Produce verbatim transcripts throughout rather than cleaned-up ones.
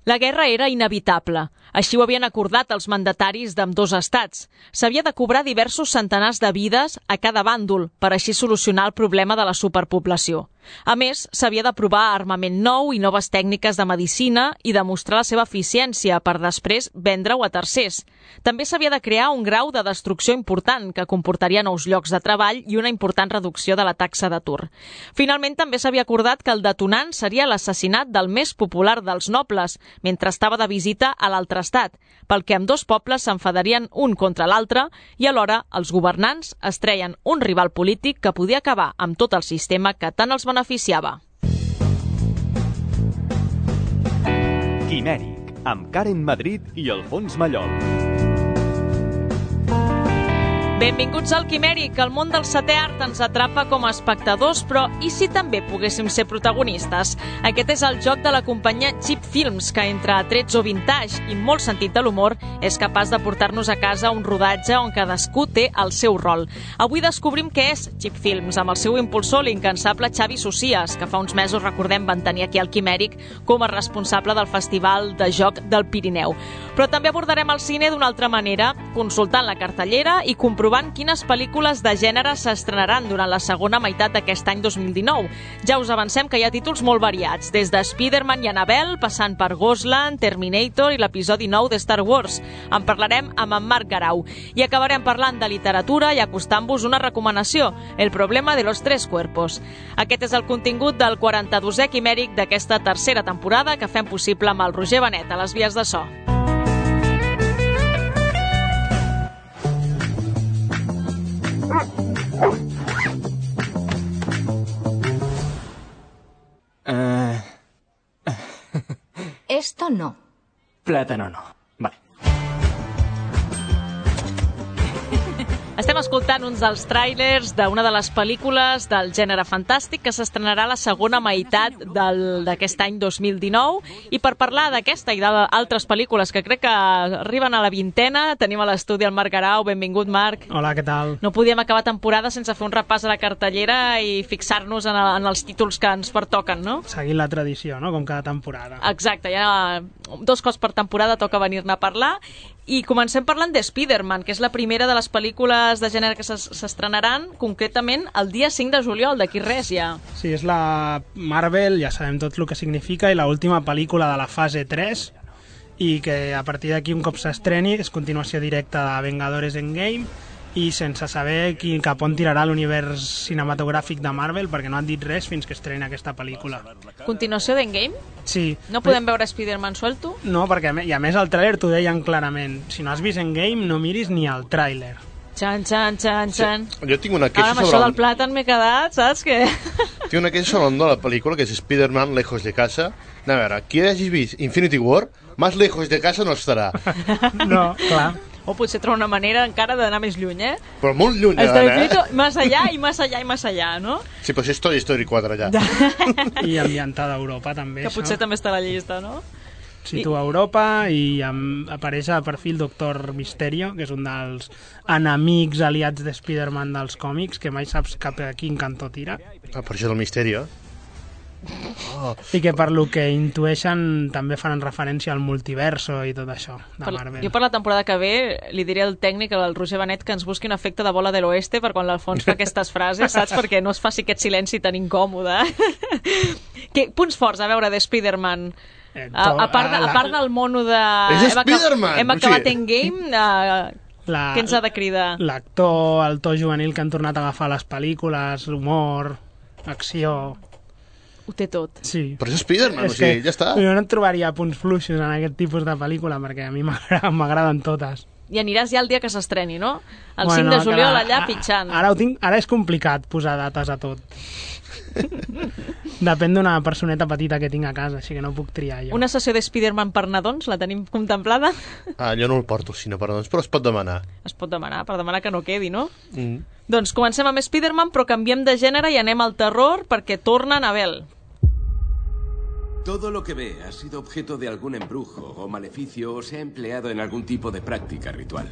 La guerra era inevitable. Així ho havien acordat els mandataris d'ambdós estats. S'havia de cobrar diversos centenars de vides a cada bàndol per així solucionar el problema de la superpoblació. A més, s'havia de provar armament nou i noves tècniques de medicina i demostrar la seva eficiència per després vendre-ho a tercers. També s'havia de crear un grau de destrucció important que comportaria nous llocs de treball i una important reducció de la taxa d'atur. Finalment, també s'havia acordat que el detonant seria l'assassinat del més popular dels nobles, mentre estava de visita a l'altre estat, pel que ambdós pobles s'enfadarien un contra l'altre i alhora els governants es treien un rival polític que podia acabar amb tot el sistema que tant els beneficiava. Quimèric, amb Karen Madrid i Alfons Mallol. Benvinguts al Quimèric. El món del setè art ens atrapa com a espectadors, però i si també poguéssim ser protagonistes? Aquest és el joc de la companyia Cheap Films, que entre atrets o vintage i molt sentit de l'humor és capaç de portar-nos a casa un rodatge on cadascú té el seu rol. Avui descobrim què és Cheap Films, amb el seu impulsor, l'incansable Xavi Socias, que fa uns mesos, recordem, van tenir aquí al Quimèric com a responsable del Festival de Joc del Pirineu. Però també abordarem el cine d'una altra manera, consultant la cartellera i comprovant quines pel·lícules de gènere s'estrenaran durant la segona meitat d'aquest any dos mil dinou. Ja us avancem que hi ha títols molt variats, des de Spider-Man i Annabelle, passant per Ghostland, Terminator i l'episodi nou de Star Wars. En parlarem amb en Marc Garau. I acabarem parlant de literatura i acostant-vos una recomanació, El problema de los tres cuerpos. Aquest és el contingut del quaranta-dosè Quimèric d'aquesta tercera temporada que fem possible amb el Roger Benet a les vies de so. Uh... Esto no. Plátano no. Vale. Estem escoltant uns dels tràilers d'una de les pel·lícules del gènere fantàstic que s'estrenarà a la segona meitat d'aquest any dos mil dinou, i per parlar d'aquesta i d'altres pel·lícules que crec que arriben a la vintena tenim a l'estudi el Marc Garau. Benvingut, Marc. Hola, què tal? No podíem acabar temporada sense fer un repàs a la cartellera i fixar-nos en, el, en els títols que ens pertoquen, no? Seguint la tradició, no? Com cada temporada. Exacte, ja dos cops per temporada toca venir-ne a parlar. I comencem parlant de Spider-Man, que és la primera de les pel·lícules de gènere que s'estrenaran concretament el dia cinc de juliol, d'aquí res ja. Sí, és la Marvel, ja sabem tot el que significa, i l'última pel·lícula de la fase tres, i que a partir d'aquí, un cop s'estreni, és continuació directa de Vengadores Endgame, i sense saber qui, cap on tirarà l'univers cinematogràfic de Marvel, perquè no han dit res fins que estreni aquesta pel·lícula. Continuació d'Endgame? Sí. No podem veure Spider-Man suelto? No, perquè i a més el tràiler t'ho deien clarament. Si no has vist Endgame, no miris ni el tràiler. Xan, xan, xan, xan. Sí, jo tinc una queixa Ara, amb sobre... això del plàtan m'he quedat, saps què? Tinc una queixa sobre el nom de la pel·lícula, que és Spider-Man Lejos de Casa. A veure, qui hagis vist Infinity War, más lejos de casa no estarà. No, clar. O potser trobar una manera encara d'anar més lluny, eh? Però molt lluny, Has eh? Més allà i més allà i més allà, no? Sí, però és Toy Story quatre allà. I ambientada a Europa, també, que això. potser també està a la llista, no? Situa a Europa i amb, apareix a perfil Doctor Misterio, que és un dels enemics aliats de Spider-Man dels còmics, que mai saps cap a quin cantó tira. Ah, per això del misteri, eh? Oh. I que per lo que intueixen també faran referència al multiverso i tot això de Marvel. Jo per la temporada que ve li diré al tècnic, al Roger Benet, que ens busqui un efecte de bola de l'oeste per quan l'Alfons fa aquestes frases, saps? Perquè no es faci aquest silenci tan incòmode. Que, punts forts, a veure, de Spider-Man. Eh, a, a, part de, a part del mono de... És Spider-Man! Hem acabat Endgame... Uh, la, què ens ha de cridar? L'actor, el to juvenil que han tornat a agafar les pel·lícules, humor, acció... Ho té tot. Sí. Però és Spider-Man, o sigui, ja està. Jo no et trobaria punts fluixos en aquest tipus de pel·lícula, perquè a mi m'agraden totes. I aniràs ja el dia que s'estreni, no? El bueno, cinc de juliol ara, allà pitjant. Ara, ho tinc, ara és complicat posar dates a tot. Depèn d'una personeta petita que tinc a casa, així que no puc triar jo. Una sessió de Spider-Man per nadons, la tenim contemplada? Ah, jo no el porto, sinó per nadons, però es pot demanar. Es pot demanar, per demanar que no quedi, no? Mm. Doncs comencem amb Spider-Man, però canviem de gènere i anem al terror perquè torna Annabelle. Todo lo que ve ha sido objeto de algún embrujo o maleficio o se ha empleado en algún tipo de práctica ritual.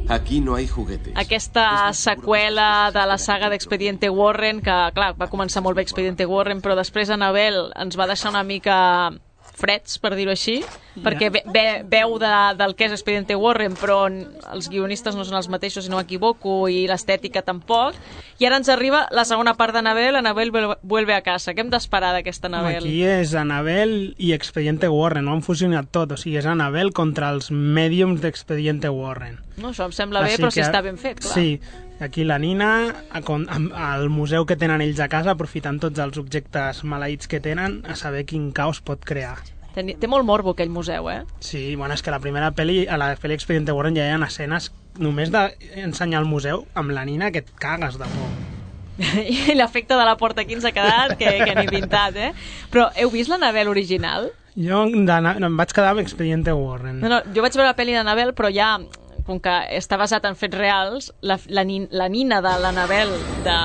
Aquí no hay juguetes. Aquesta seqüela de la saga d'Expediente Warren, que, clar, va començar molt bé Expediente Warren, però després Annabelle ens va deixar una mica freds, per dir-ho així, perquè ve, ve, veu de, del que és Expediente Warren, però els guionistes no són els mateixos, si no m'equivoco, i l'estètica tampoc. I ara ens arriba la segona part d'Annabelle, Annabelle vuelve a casa. Què hem d'esperar d'aquesta Annabelle? Aquí és Annabelle i Expediente Warren, no han fusionat tot, o sigui, és Annabelle contra els mèdiums d'Expediente Warren. No, això em sembla bé, però si està ben fet, clar. Sí, aquí la Nina, al museu que tenen ells a casa, aprofitant tots els objectes maleïts que tenen, a saber quin caos pot crear. Té, té molt morbo aquell museu, eh? Sí, bueno, és que la primera pel·li, a la pel·li Expediente Warren ja hi ha escenes només d'ensenyar el museu amb la Nina que et cagues de por. I l'efecte de la porta aquí ens ha quedat que, que ni pintat, eh? Però heu vist l'Annabelle original? Jo em vaig quedar amb Expediente Warren. No, no, jo vaig veure la pel·li d'Annabelle, però ja, com que està basat en fets reals, la, la, la Nina de l'Annabelle de,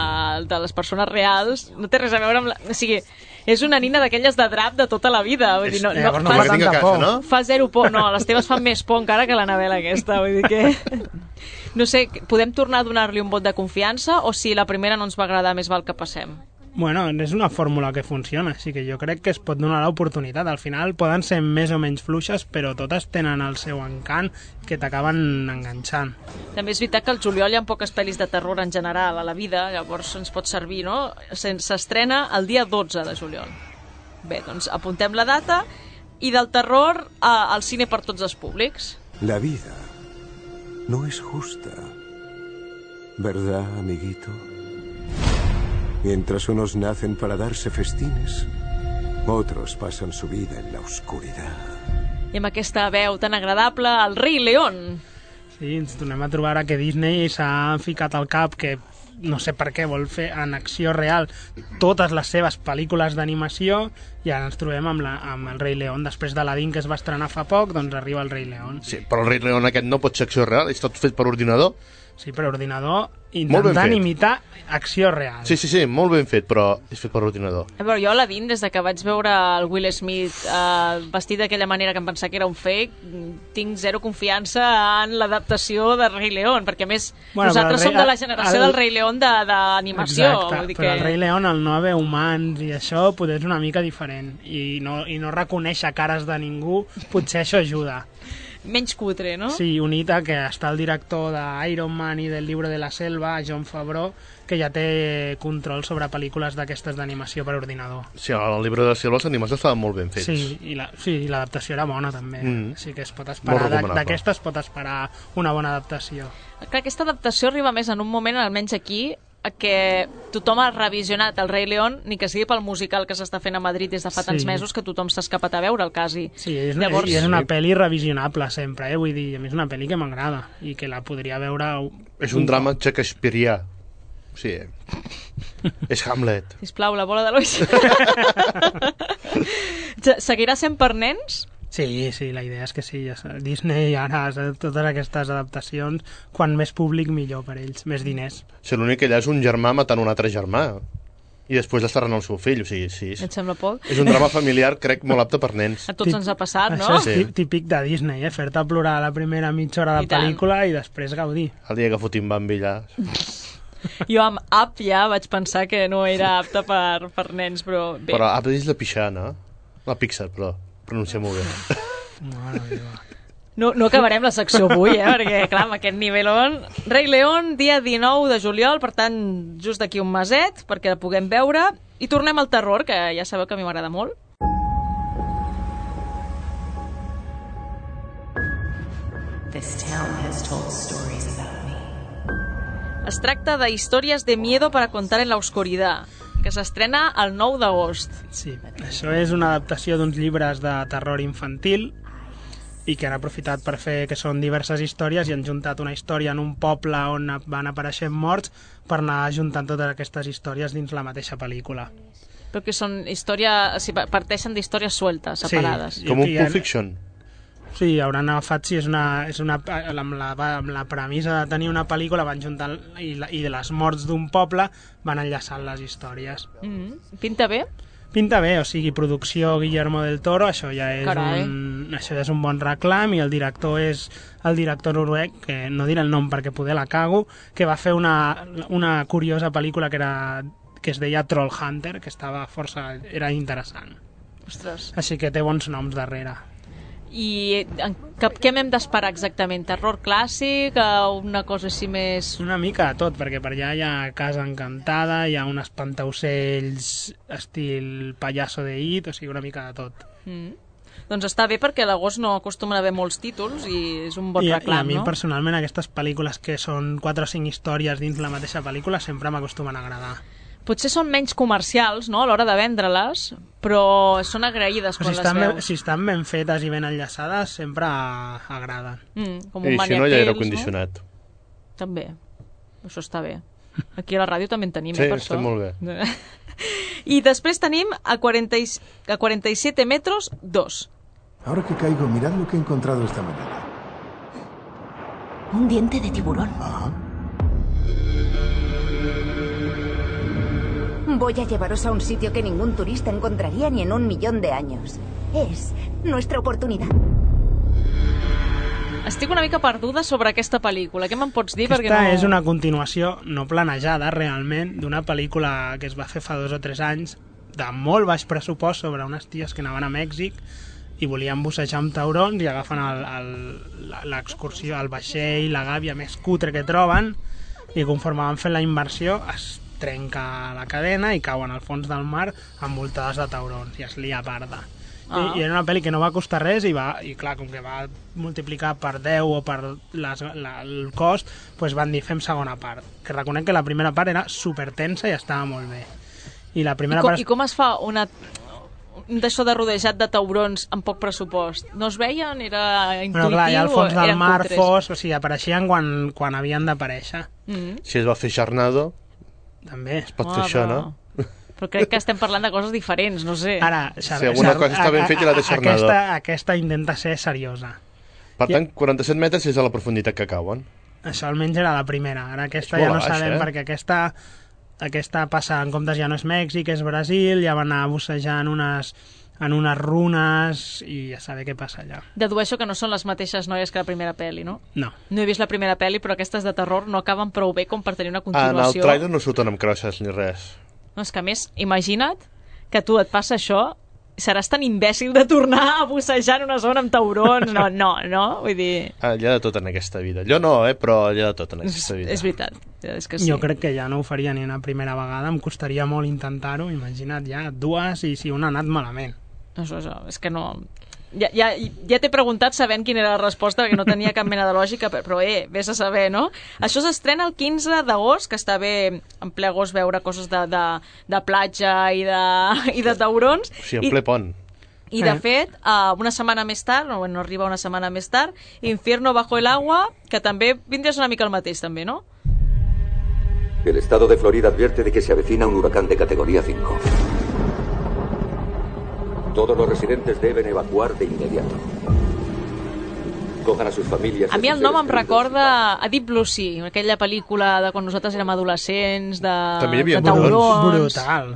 de les persones reals no té res a veure amb la... O sigui, és una nina d'aquelles de drap de tota la vida. Vull dir, no, no, no, fa, tanta casa, por. No? Fa zero por. No, les teves fan més por encara que l'Annabelle aquesta. Vull dir que... No sé, podem tornar a donar-li un vot de confiança o si la primera no ens va agradar més val que passem? Bueno, és una fórmula que funciona, així que jo crec que es pot donar l'oportunitat. Al final poden ser més o menys fluixes, però totes tenen el seu encant que t'acaben enganxant. També és veritat que al juliol hi ha poques pel·lis de terror en general a la vida, llavors ens pot servir, no? S'estrena el dia dotze de juliol. Bé, doncs apuntem la data i del terror a, al cine per tots els públics. La vida no es justa, ¿verdad, amiguito? Mientras unos nacen para darse festines, otros pasan su vida en la oscuridad. I amb aquesta veu tan agradable, el Rei León. Sí, ens tornem a trobar ara que Disney s'ha ficat al cap que no sé per què vol fer en acció real totes les seves pel·lícules d'animació i ara ens trobem amb, la, amb el Rei León. Després d'Aladín, que es va estrenar fa poc, doncs arriba el Rei León. Sí, però el Rei León aquest no pot ser acció real, és tot fet per ordinador. Sí, per ordinador, intentant imitar acció real. Sí, sí, sí, molt ben fet, però és fet per ordinador. A veure, jo Aladín, des de que vaig veure el Will Smith eh, vestit d'aquella manera que em pensava que era un fake, tinc zero confiança en l'adaptació de Rei León, perquè a més bueno, nosaltres rei, som de la generació el, del Rei León d'animació. Exacte, vull dir però que... el Rei León, el no haver humans i això, potser és una mica diferent, i no, i no reconèixer cares de ningú, potser això ajuda. Menys cutre, no? Sí, unit a que està el director d'Iron Man i del Libro de la Selva, Jon Favreau, que ja té control sobre pel·lícules d'aquestes d'animació per ordinador. Sí, el Libro de la Selva els animals estaven molt ben fets. Sí, i la, sí, l'adaptació era bona també. Mm. Així que es pot Molt esperar, recomanable. d'aquesta es pot esperar una bona adaptació. Clar, aquesta adaptació arriba més en un moment, almenys aquí, que tothom ha revisionat el Rei León, ni que sigui pel musical que s'està fent a Madrid des de fa tants Sí. mesos que tothom s'ha escapat a veure el quasi. Sí, és una, Llavors... i és una pel·li revisionable sempre, eh? Vull dir, a més és una pel·li que m'agrada i que la podria veure... És un drama shakespearià. Sí, és Hamlet. Sisplau, la bola de l'Oix. Seguirà sent per nens? Sí, sí, la idea és que sí. Disney ara, totes aquestes adaptacions, quan més públic millor per ells, més diners. Si l'únic que allà és un germà matant un altre germà i després l'estarran el seu fill, o sigui, sí. Et sembla poc? És un drama familiar, crec, molt apte per nens. A tots ens ha passat, no? Això és típic de Disney, eh? Fer-te plorar a la primera mitja hora de pel·lícula i després gaudir. El dia que fotin Bambi allà... Jo amb Up ja vaig pensar que no era apte per, per nens, però bé. Però Up és la pixana, la Pixar, però pronuncia molt bé. Mare meva. No, no acabarem la secció avui, eh? Perquè, clar, amb aquest nivelón... Rei León, dia dinou de juliol, per tant, just d'aquí un meset, perquè la puguem veure. I tornem al terror, que ja sabeu que a mi m'agrada molt. This town has told stories about me. Es tracta de Històries de miedo para contar en la oscuridad, que s'estrena el nou d'agost. Sí, això és una adaptació d'uns llibres de terror infantil i que han aprofitat per fer que són diverses històries i han juntat una història en un poble on van apareixent morts per anar juntant totes aquestes històries dins la mateixa pel·lícula. Però que són històries... Si parteixen d'històries sueltes, separades. Sí, Com un Pulp Fiction. Sí, hauran agafat, sí, és una, és una, amb, la, amb la premissa de tenir una pel·lícula van juntar i, la, i de les morts d'un poble van enllaçant les històries. Mm-hmm. Pinta bé? Pinta bé, o sigui, producció Guillermo del Toro, això ja és, un, això ja és un bon reclam, i el director és el director noruec, que no diré el nom perquè poder la cago, que va fer una, una curiosa pel·lícula que, era, que es deia Troll Hunter, que estava força, era interessant. Ostres. Així que té bons noms darrere. I què, què m'hem d'esperar exactament? Terror clàssic? Una cosa així més... Una mica de tot, perquè per allà hi ha Casa Encantada, hi ha un espantaocells estil Payaso de It, o sigui, una mica de tot. Mm. Doncs està bé perquè a l'agost no acostumen a haver molts títols i és un bon I, reclam, I a mi no? personalment aquestes pel·lícules que són quatre o cinc històries dins la mateixa pel·lícula sempre m'acostumen a agradar. Potser són menys comercials, no?, a l'hora de vendre-les, però són agraïdes quan si les estan veus. Ben, si estan ben fetes i ben enllaçades, sempre agraden. Mm, com un I si no, hi ha aire condicionat. No? També. Això està bé. Aquí a la ràdio també en tenim, sí, eh, per està això. molt bé. I després tenim a, quaranta, a cuarenta y siete metros, dos. Ahora que caigo, mirad lo que he encontrado esta mañana. Un diente de tiburón. Ajá. Voy a llevaros a un sitio que ningún turista encontraría ni en un millón de años. Es nuestra oportunidad. Estic una mica perduda sobre aquesta pel·lícula. Què me'n pots dir? Aquesta Perquè no... és una continuació no planejada realment d'una pel·lícula que es va fer fa dos o tres anys de molt baix pressupost sobre unes ties que anaven a Mèxic i volien bussejar amb taurons i agafen l'excursió, el vaixell, la gàbia més cutre que troben i conforme van fent la immersió es trenca la cadena i cauen al fons del mar envoltades de taurons i es lia parda. Ah. I, I era una pel·li que no va costar res i, va, i clar, com que va multiplicar per deu o per les, la, el cost, doncs van dir fem segona part. Que reconec que la primera part era supertensa i estava molt bé. I la primera I com, part... I com es fa una d'això de rodejat de taurons amb poc pressupost? No es veien? Era intuïtiu? Bueno, clar, ja al fons del mar cutres? fos, o sigui, apareixien quan, quan havien d'aparèixer. Mm. Si es va fer Charnado, també. es pot Ah, fer això, però... no? Però crec que estem parlant de coses diferents, no sé. Ara, si alguna cosa està ben feta i la té Charnado. Aquesta, aquesta intenta ser seriosa. Per tant, quaranta-set metres és a la profunditat que cauen. Això almenys era la primera. Ara aquesta És ja molt no baix, sabem, eh? perquè aquesta, aquesta passa, en comptes ja no és Mèxic, és Brasil, ja van anar bussejant unes, en unes runes i ja saber què passa allà. Dedueixo que no són les mateixes noies que la primera pel·li, no? No. No he vist la primera pel·li, però aquestes de terror no acaben prou bé com per tenir una En el continuació. trailer no surten amb crosses ni res. No, és que a més, imagina't que a tu et passa això, seràs tan imbècil de tornar a bussejar en una zona amb taurons. No, no, no? Vull dir... Ah, hi ha de tot en aquesta vida. Jo no, eh, però hi ha de tot en aquesta vida. És veritat, és que sí. Jo crec que ja no ho faria ni una primera vegada, em costaria molt intentar-ho, imagina't ja, dues i si una ha anat malament. Això, això, és que no... Ja, ja, ja t'he preguntat sabent quina era la resposta, perquè no tenia cap mena de lògica, però eh, vés a saber, no? Això s'estrena el quinze d'agost, que està bé en ple agost veure coses de, de, de platja i de, i de taurons. O sigui, en ple pont. I de fet, uh, una setmana més tard, no, no arriba una setmana més tard, Infierno bajo el agua, que també vindries una mica el mateix, també, no? El estado de Florida advierte de que se avecina un huracán de categoría cinco. Todos los residentes deben evacuar de inmediato. Cojan a sus familias... A mi el nom em recorda a Deep Blue Sea, aquella pel·lícula de quan nosaltres érem adolescents, de, També hi havia de taurons. Brutal.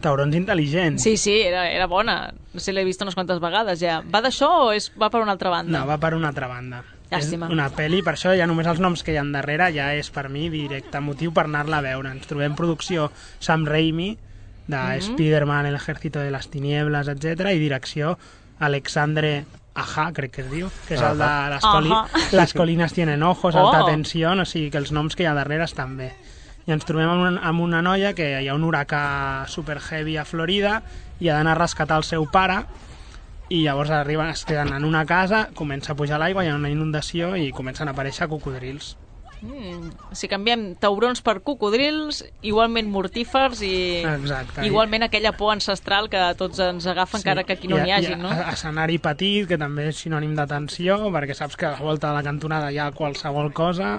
Taurons intel·ligents. Sí, sí, era, era bona. No sé, l'he vist unes quantes vegades ja. Va d'això o és, va per una altra banda? No, va per una altra banda. Llàstima. És una pel·li, per això ja només els noms que hi ha darrere ja és per mi directe motiu per anar-la a veure. Ens trobem producció Sam Raimi, de mm-hmm. Spider-Man, El ejército de las tinieblas, etcètera, i direcció Alexandre Aja, crec que es diu, que és el de les, coli les colines tienen ojos, alta Oh. tensió, o sigui que els noms que hi ha darrere estan bé. I ens trobem amb una, amb una noia que hi ha un huracà super heavy a Florida i ha d'anar a rescatar el seu pare i llavors arriben, es queden en una casa, comença a pujar l'aigua, hi ha una inundació i comencen a aparèixer cocodrils. Mm, si canviem taurons per cocodrils, igualment mortífers i Exacte. igualment aquella por ancestral que tots ens agafa, sí. Encara que aquí no n'hi hagi, no? Escenari petit, que també és sinònim de tensió, perquè saps que a la volta de la cantonada hi ha qualsevol cosa,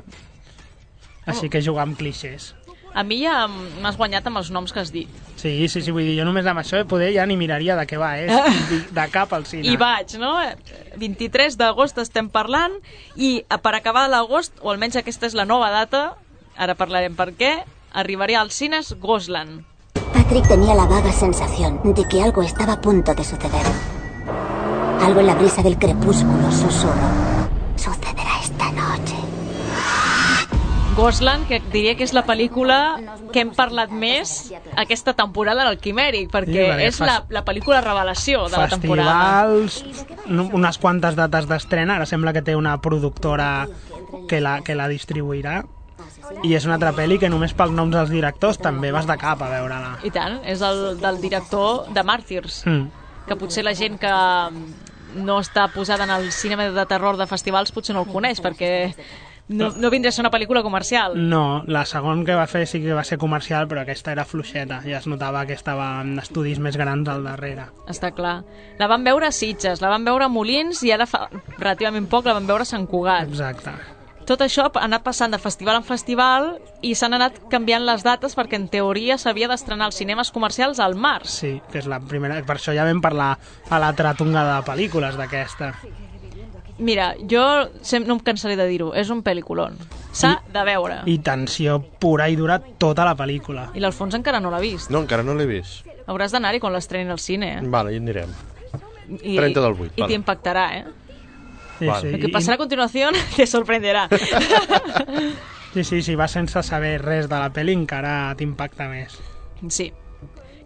així que jugar amb clixés. A mi ja m'has guanyat amb els noms que has dit. Sí, sí, sí, vull dir, jo només amb això poder ja ni miraria de què va, és de cap al cine. I vaig, no? vint-i-tres d'agost estem parlant i per acabar l'agost, o almenys aquesta és la nova data, ara parlarem per què, arribaré als cines Ghostland. Patrick tenía la vaga sensación de que algo estaba a punto de suceder. Algo en la brisa del crepúsculo susurró. Sucederá esta noche. Ghostland, que diria que és la pel·lícula que hem parlat més aquesta temporada del Quimèric, perquè Sí, perquè és la, fas- la pel·lícula revelació de la temporada. Festivals, no- unes quantes dates d'estrena, ara sembla que té una productora que la, que la distribuirà, i és una altra pel·li que només pels noms dels directors també vas de cap a veure-la. I tant, és el del director de Màrtirs, Mm. que potser la gent que no està posada en el cinema de terror de festivals potser no el coneix, perquè no, no vindria a ser una pel·lícula comercial. No, la segona que va fer sí que va ser comercial, però aquesta era fluixeta, ja es notava que estava en estudis més grans al darrere. Està clar. La van veure a Sitges, la van veure a Molins i ara fa relativament poc la van veure a Sant Cugat. Exacte. Tot això ha anat passant de festival en festival i s'han anat canviant les dates perquè en teoria s'havia d'estrenar als cinemes comercials al març. Sí, que és la primera... Per això ja vam parlar a l'altra tongada de pel·lícules d'aquesta. Mira, jo sem- no em cansaré de dir-ho, és un pel·lículon. S'ha de veure. I tensió pura i dura tota la pel·lícula. I l'Alfons encara no l'ha vist. No, encara no l'he vist. Hauràs d'anar-hi quan l'estrenin al cine, eh? Vale, hi anirem. I, trenta del vuit, I vale. t'impactarà, eh? Sí, Vale. sí. Lo que passarà a continuació te sorprenderà. Sí, sí, si vas sense saber res de la pel·li encara t'impacta més. Sí.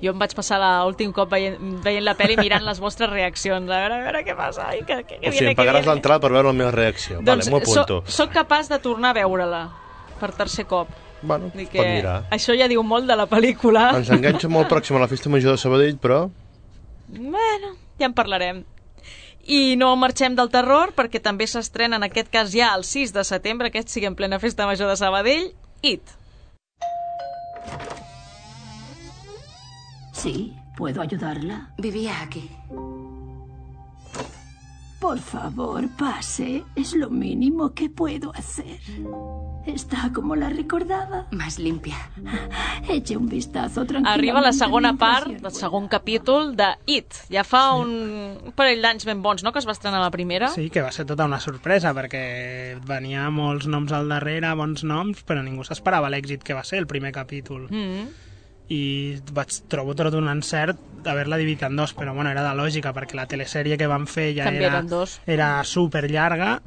Jo em vaig passar l'últim cop veient, veient la pel·li mirant les vostres reaccions. A veure, a veure què passa. Ai, que, que, que O sigui, viene, em pagaràs que viene. l'entrada per veure la meva reacció. Doncs Vale, m'ho apunto. soc, soc capaç de tornar a veure-la per tercer cop. Bueno, Vull es que pot mirar. això ja diu molt de la pel·lícula. Ens enganxa molt pròxim a la Festa Major de Sabadell, però... Bueno, ja en parlarem. I no marxem del terror, perquè també s'estrena, en aquest cas ja el sis de setembre, aquest sigui en plena Festa Major de Sabadell, It. Sí, ¿puedo ayudarla? Vivía aquí. Por favor, pase. Es lo mínimo que puedo hacer. Está como la recordaba. Más limpia. Eche un vistazo tranquilamente. Arriba la segona mientras part, el segon capítol de It. Ja fa un, un parell d'anys ben bons, no?, que es va estrenar la primera. Sí, que va ser tota una sorpresa, perquè venia molts noms al darrere, bons noms, però ningú s'esperava l'èxit que va ser el primer capítol. Mm. I vaig trobo tot un encert d'haver-la dividit en dos, però bueno, era de lògica, perquè la telesèrie que van fer ja També era, eren dos. era super llarga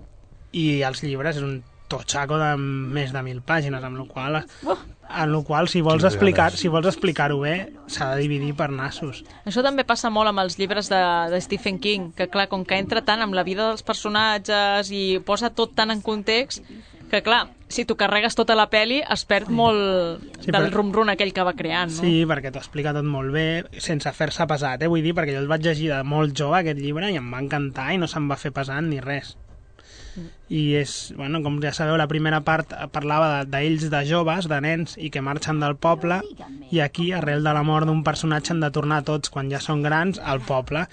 i els llibres és un totxaco de més de mil pàgines, amb la qual, Oh. en la qual si vols Quines explicar ganes. si vols explicar-ho bé s'ha de dividir per nassos. Això també passa molt amb els llibres de, de Stephen King, que clar, com que entra tant amb la vida dels personatges i posa tot tan en context, que clar, si tu carregues tota la peli es perd molt Sí, del però- rum-rum aquell que va creant, no? Sí, perquè t'ho explica tot molt bé, sense fer-se pesat, eh? Vull dir, perquè jo el vaig llegir de molt jove, aquest llibre, i em va encantar i no se'm va fer pesant ni res. I és, bueno, com ja sabeu, la primera part parlava de- d'ells de joves, de nens, i que marxen del poble, i aquí, arrel de la mort d'un personatge, han de tornar tots, quan ja són grans, al poble.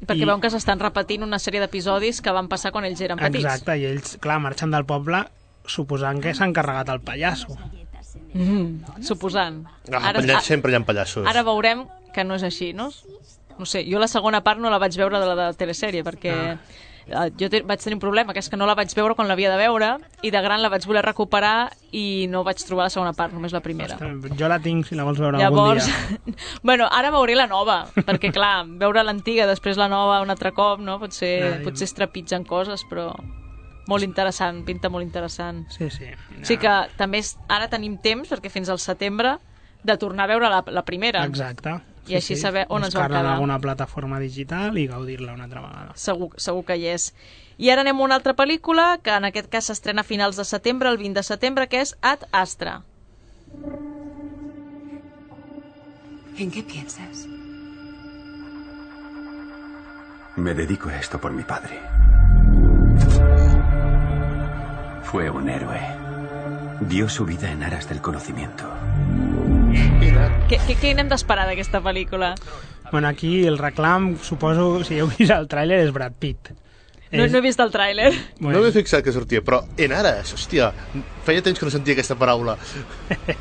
Perquè I- veuen que s'estan repetint una sèrie d'episodis que van passar quan ells eren petits. Exacte, i ells, clar, marxen del poble suposant que s'han carregat el pallasso. Mm, suposant. Ah, ara, sempre hi ha pallassos. Ara veurem que no és així, no? No sé, jo la segona part no la vaig veure de la de la telesèrie, perquè ah. jo te, vaig tenir un problema, que és que no la vaig veure quan l'havia de veure, i de gran la vaig voler recuperar i no vaig trobar la segona part, només la primera. Ostres, jo la tinc, si la vols veure Llavors, algun dia. bueno, ara veuré la nova, perquè clar, veure l'antiga, després la nova un altre cop, no? Potser, Ai. potser es trepitgen coses, però molt interessant, pinta molt interessant. Sí, sí. O sigui que també és, ara tenim temps, perquè fins al setembre, de tornar a veure la, la primera. Exacte. I així saber on ens vam Buscar-la en quedar. alguna plataforma digital i gaudir-la una altra vegada. Segur, segur que hi és. I ara anem a una altra pel·lícula, que en aquest cas s'estrena a finals de setembre, el vint de setembre, que és Ad Astra. ¿En qué piensas? Me dedico a esto por mi padre. Fue un héroe. Dio su vida en aras del conocimiento. Què, què, què n'hem d'esperar d'aquesta pel·lícula? Bueno, aquí el reclam, suposo, si heu vist el tràiler, és Brad Pitt. No, És- no he vist el tràiler. No m'he fixat que sortia, però en ares, hòstia, feia temps que no sentia aquesta paraula.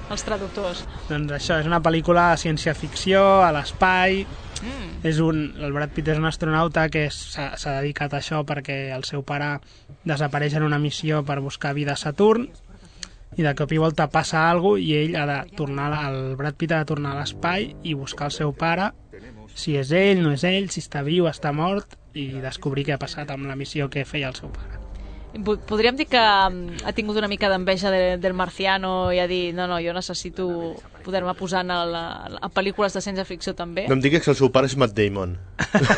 Els traductors. Doncs això, és una pel·lícula de ciència-ficció, a l'espai. Mm. És un, el Brad Pitt és un astronauta que s'ha s'ha dedicat a això perquè el seu pare desapareix en una missió per buscar vida a Saturn, i de cop i volta passa alguna cosa i ell ha de tornar, el Brad Pitt ha de tornar a l'espai i buscar el seu pare, si és ell, no és ell, si està viu, està mort, i descobrir què ha passat amb la missió que feia el seu pare. Podríem dir que ha tingut una mica d'enveja de, del Marciano i ha dit, no, no, jo necessito poder-me posar a, la, a pel·lícules de ciència-ficció també. No em diguis que el seu pare és Matt Damon.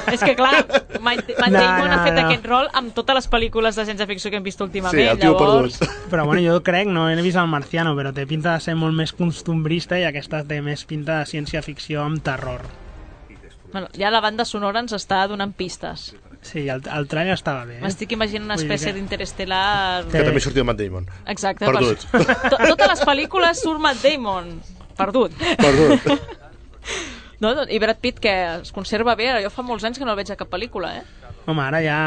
És que clar, Matt, Matt no, Damon no, ha fet no. aquest rol amb totes les pel·lícules de ciència-ficció que hem vist últimament. Sí, el tio llavors... perdut. Però bueno, jo crec, no he vist el Marciano, però té pinta de ser molt més costumbrista i aquesta té més pinta de ciència-ficció amb terror. Bueno, ja la banda sonora ens està donant pistes. Sí, el, el trailer estava bé. Eh? M'estic imaginant una espècie que... d'interestel·lar... Que també sortia Matt Damon. Exacte. Perdut. Per... Totes les pel·lícules surt Matt Damon. Perdut. Perdut. No, no, i Brad Pitt, que es conserva bé, jo fa molts anys que no el veig a cap pel·lícula, eh? Home, ara ja...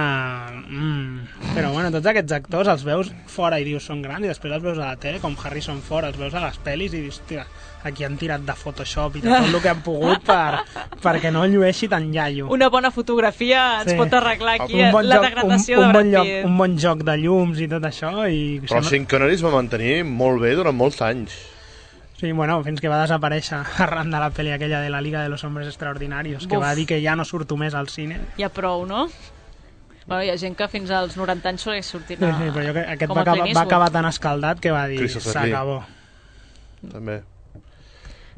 Mm. Però bueno, tots aquests actors els veus fora i dius són grans i després els veus a la tele, com Harrison Ford, els veus a les pel·lis i dius, hòstia, aquí han tirat de Photoshop i de tot el que han pogut per, perquè no llueixi tan iaio. Una bona fotografia ens sí. pot arreglar aquí bon la joc, degradació un, un de bon Brad lloc, Pitt. un bon joc de llums i tot això. I Però Sean Connery es va mantenir molt bé durant molts anys. Sí, bueno, fins que va desaparèixer arran de la pel·li aquella de la Liga de los Hombres Extraordinarios, que Uf. va dir que ja no surto més al cine. Ja prou, no? Bueno, hi ha gent que fins als noranta anys segueix sortint a... Sí, sí, però jo, aquest va acabar, va acabar tan escaldat que va dir s'acabó. També.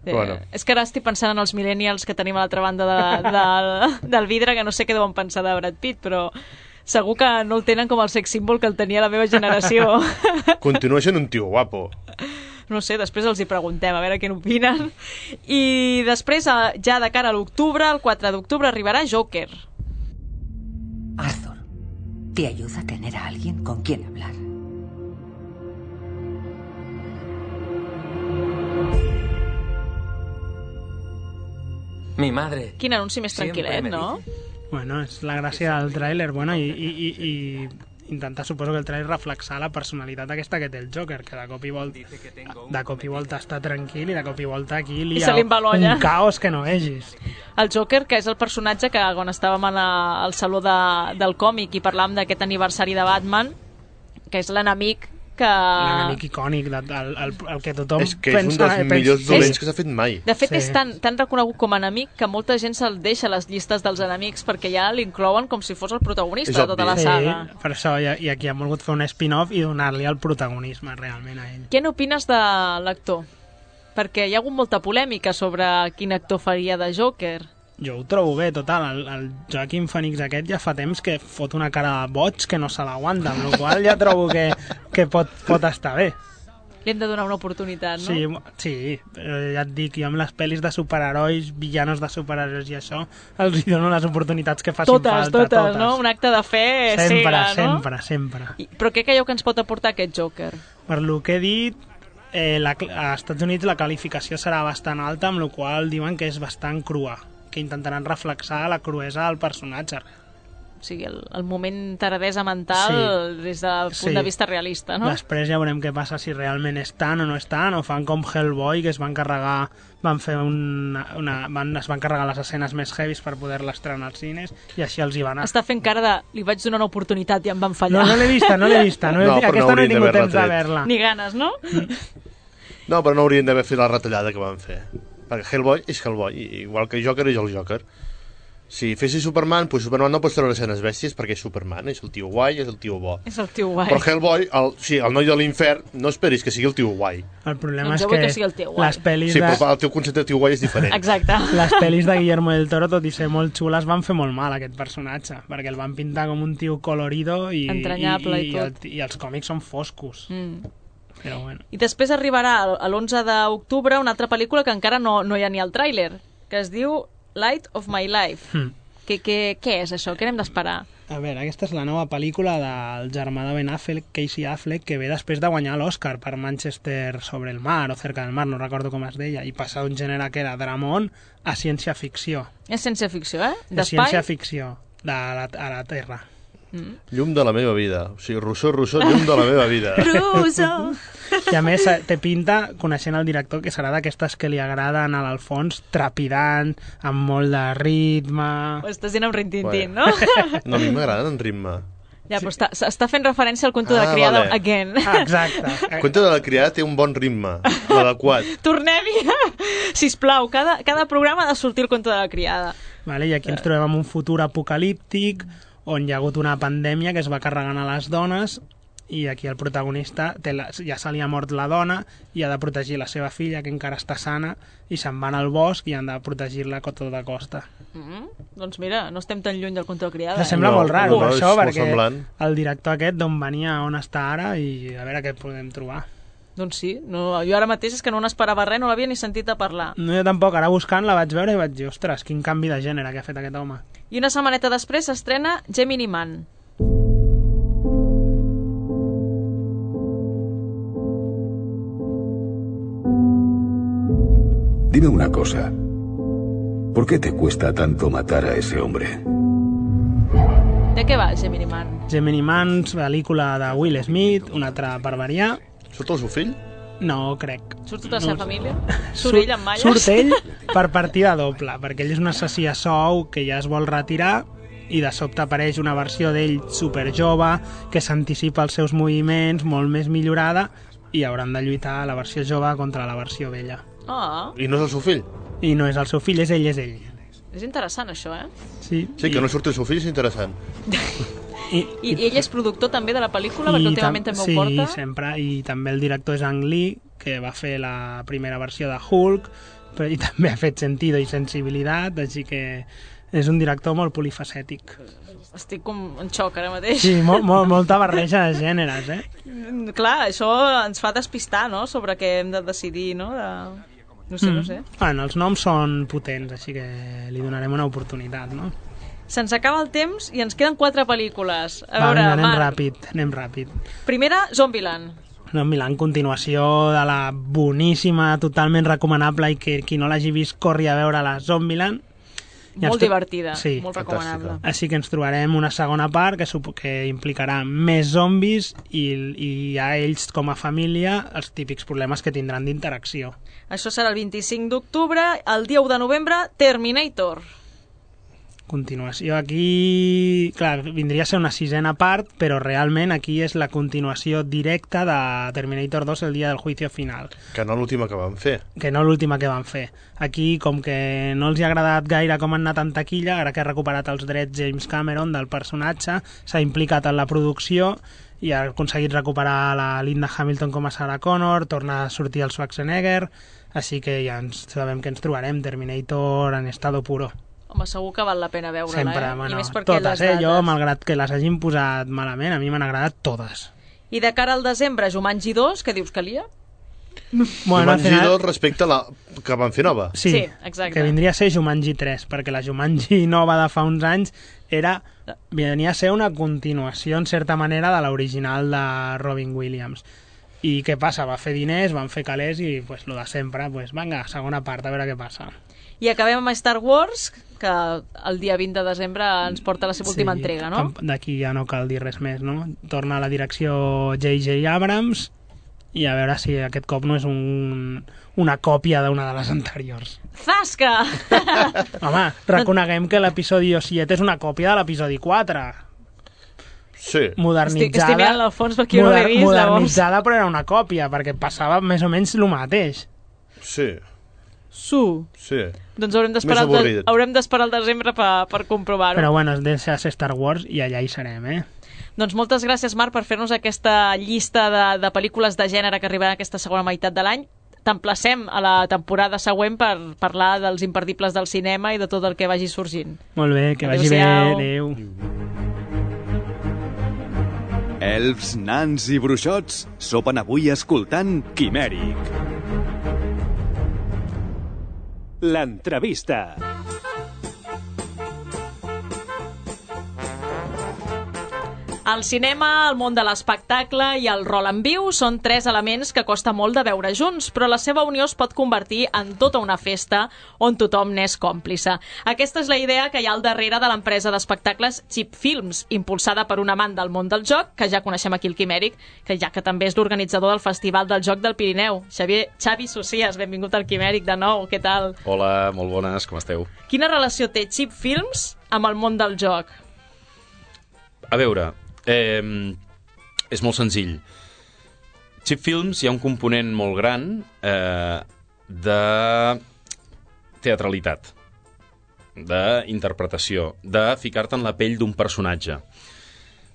Eh, bueno. És que ara estic pensant en els millennials que tenim a l'altra banda de, de, del vidre, que no sé què deuen pensar de Brad Pitt, però segur que no el tenen com el sex symbol que el tenia la meva generació. Continua sent un tio guapo. No sé, després els hi preguntem a veure què n'opinen. I després, ja de cara a l'octubre, el quatre d'octubre, arribarà Joker. Arthur, te ayuda a tener a alguien con quien hablar. Mi madre. Quin anunci més tranquil·let, no? Bueno, és la gràcia del tràiler, bueno, i, i, i, i intentar, suposo que el tràiler reflexar la personalitat aquesta que té el Joker, que de cop i volta, de cop i volta està tranquil i de cop i volta aquí li ha un caos que no vegis. El Joker, que és el personatge que quan estàvem a la, al saló de, del còmic i parlàvem d'aquest aniversari de Batman, que és l'enemic que... L'enemic icònic, el, el, el que tothom pensa... És que és pensa, un dels millors dolents que s'ha fet mai. De fet, sí. és tan, tan reconegut com a enemic que molta gent se'l deixa a les llistes dels enemics perquè ja l'inclouen com si fos el protagonista de tota la saga. Sí, per això, i, i aquí han volgut fer un spin-off i donar-li el protagonisme realment a ell. Què n'opines de l'actor? Perquè hi ha hagut molta polèmica sobre quin actor faria de Joker. Jo ho trobo bé, total. El, el Joaquin Phoenix aquest ja fa temps que fot una cara de boig que no se l'aguanta, amb la qual ja trobo que, que pot, pot estar bé. Li hem de donar una oportunitat, no? Sí, sí, ja et dic, jo amb les pel·lis de superherois, villanos de superherois i això, els hi dono les oportunitats que facin totes, falta. Totes, totes, no? Un acte de fe sempre, cega, no? Sempre, sempre, I, però què creieu que ens pot aportar aquest Joker? Per lo que he dit, eh, la, a Estats Units la qualificació serà bastant alta, amb la qual diuen que és bastant crua, que intentaran reflexar la cruesa del personatge. O sigui, el, el moment taradesa mental sí. des del punt sí. de vista realista, no? Després ja veurem què passa, si realment és tant o no és tant, o fan com Hellboy, que es van carregar, van fer una, una, van, es van carregar les escenes més heavies per poder-les estrenar als cines, i així els hi van anar. Està fent cara de, li vaig donar una oportunitat i em van fallar. No, no l'he vista, no l'he vista. No, no, aquesta no he tingut temps de veure-la. Ni ganes, no? No, però no haurien d'haver fet la retallada que van fer. Perquè Hellboy és Hellboy, igual que Joker és el Joker. Si fessis Superman, doncs Superman no pots treure escenes bèsties perquè és Superman, és el tio guai, és el tio bo. És el tio guai. Però Hellboy, el, sí, el noi de l'infern, no esperis que sigui el tio guai. El problema doncs és que, que el tio guai. les pel·lis sí, de... però el teu concepte de tio guai és diferent. Exacte. Les pel·lis de Guillermo del Toro, tot i ser molt xules, van fer molt mal aquest personatge, perquè el van pintar com un tio colorido i, entranyable i, i, i, tot. i, i els còmics són foscos. Mm. Però bueno. I després arribarà l'onze d'octubre una altra pel·lícula que encara no, no hi ha ni al tràiler, que es diu Light of My Life. Mm. Que, que, què és això? Què hem d'esperar? A veure, aquesta és la nova pel·lícula del germà de Ben Affleck, Casey Affleck, que ve després de guanyar l'Oscar per Manchester sobre el mar o cerca del mar, no recordo com es deia, i passar d'un gènere que era dramón a ciència-ficció. És ciència-ficció, eh? De ciència-ficció, de la, a la Terra. Mm. Llum de la meva vida. O sigui, Rousseau, Rousseau, llum de la meva vida. Rousseau! I a més té pinta, coneixent el director, que serà d'aquestes que li agraden a l'Alfons, trepidant, amb molt de ritme... Ho estàs dient amb rintintín, bueno. no? No, a mi m'agraden en ritme. Ja, però està, està fent referència al Cuento ah, de la criada vale. again. Ah, exacte. El Cuento de la criada té un bon ritme, l'adequat. Tornem-hi! Sisplau, cada, cada programa ha de sortir el Cuento de la criada. Vale, i aquí ens trobem en un futur apocalíptic, on hi ha hagut una pandèmia que es va carregant a les dones i aquí el protagonista té la, ja se li ha mort la dona i ha de protegir la seva filla, que encara està sana, i se'n van al bosc i han de protegir-la a tota costa. Mm-hmm. Doncs mira, no estem tan lluny del Control Criada. Se sembla No, molt raro, no, això, és molt perquè semblant. el director aquest d'on venia, on està ara, i a veure què podem trobar. Doncs sí, no, jo ara mateix és que no n'esperava res, no l'havia ni sentit a parlar. No, jo tampoc, ara buscant la vaig veure i vaig dir, ostres, quin canvi de gènere que ha fet aquest home. I una setmaneta després s'estrena Gemini Man. Dime una cosa. ¿Por qué te cuesta tanto matar a ese hombre? De què va Gemini Man? Gemini Man, pel·lícula de Will Smith, una altra per variar. Surt el seu fill? No, crec. Surt tota la seva No. família? Surt ell amb malles? Surt ell per partida doble, perquè ell és un assassí a sou que ja es vol retirar i de sobte apareix una versió d'ell superjove que s'anticipa als seus moviments, molt més millorada, i hauran de lluitar la versió jove contra la versió vella. Ah, I no és el seu fill? I no és el seu fill, és ell, és ell. és interessant això, eh? Sí, Sí, que no surti el seu fill és interessant. I, I, I ell és productor també de la pel·lícula, perquè últimament també sí, ho porta. Sí, sempre, i també el director és Ang Lee, que va fer la primera versió de Hulk, però i també ha fet Sentido i Sensibilitat, així que és un director molt polifacètic. Estic com en xoc ara mateix. Sí, molt, molt, molta barreja de gèneres, eh? Clar, això ens fa despistar, no?, sobre què hem de decidir, no? De... No sé, mm. no sé. Bueno, els noms són potents, així que li donarem una oportunitat, no? Se'ns acaba el temps i ens queden quatre pel·lícules. A Va, veure, vinga, anem Marc. ràpid, anem ràpid. Primera, Zombieland. No, Milan, continuació de la boníssima, totalment recomanable, i que qui no l'hagi vist corri a veure la Zombieland. I Molt ens tro- divertida, sí. molt recomanable. Així que ens trobarem una segona part que, supo que implicarà més zombis i, i a ells com a família els típics problemes que tindran d'interacció. Això serà el vint-i-cinc d'octubre. El dia u de novembre, Terminator. Continuació aquí... Clar, vindria a ser una sisena part, però realment aquí és la continuació directa de Terminator dos, el dia del juicio final. Que no l'última que van fer. Que no l'última que van fer. Aquí, com que no els hi ha agradat gaire com han anat en taquilla, ara que ha recuperat els drets James Cameron del personatge, s'ha implicat en la producció i ha aconseguit recuperar la Linda Hamilton com a Sarah Connor, torna a sortir el Schwarzenegger, així que ja ens sabem que ens trobarem Terminator en estado puro. Home, segur que val la pena veure-la, Sempre, eh? bueno, I més perquè totes, les eh? dates... Jo, malgrat que les hagin posat malament, a mi m'han agradat totes. I de cara al desembre, Jumanji dos, què dius, Calia? Bueno, Jumanji final... dos respecte a la que van fer nova. Sí, Sí, exacte. que vindria a ser Jumanji tres, perquè la Jumanji nova de fa uns anys era, venia a ser una continuació, en certa manera, de l'original de Robin Williams. I què passa? Va fer diners, van fer calés i, pues, lo de sempre, pues, vinga, segona part, a veure què passa. I acabem amb Star Wars, que el dia vint de desembre ens porta la seva última entrega, no? D'aquí ja no cal dir res més, no? Torna a la direcció J J Abrams i a veure si aquest cop no és un, una còpia d'una de les anteriors. Zasca! Home, reconeguem que l'episodi set és una còpia de l'episodi quatre. Sí. Modernitzada, Estic, estic mirant al fons perquè jo no l'he vist, modernitzada, llavors. Però era una còpia, perquè passava més o menys el mateix. Sí. Su. Sí. Doncs haurem d'esperar el, de, haurem d'esperar el desembre per, per comprovar-ho. Però bueno, es deixa ser Star Wars i allà hi serem, eh? Doncs moltes gràcies, Marc, per fer-nos aquesta llista de, de pel·lícules de gènere que arribaran aquesta segona meitat de l'any. T'emplacem a la temporada següent per parlar dels imperdibles del cinema i de tot el que vagi sorgint. Molt bé, que vagi bé, adéu. Elfs, nans i bruixots sopen avui escoltant Quimèric. L'entrevista. El cinema, el món de l'espectacle i el rol en viu són tres elements que costa molt de veure junts, però la seva unió es pot convertir en tota una festa on tothom n'és còmplice. Aquesta és la idea que hi ha al darrere de l'empresa d'espectacles Cheap Films, impulsada per un amant del món del joc, que ja coneixem aquí el Quimèric, que ja que també és l'organitzador del Festival del Joc del Pirineu. Xavier, Xavi Socias, benvingut al Quimèric de nou, què tal? Hola, molt bones, com esteu? Quina relació té Cheap Films amb el món del joc? A veure, eh, és molt senzill. Cheap Films hi ha un component molt gran eh, de teatralitat, d'interpretació, de ficar-te en la pell d'un personatge.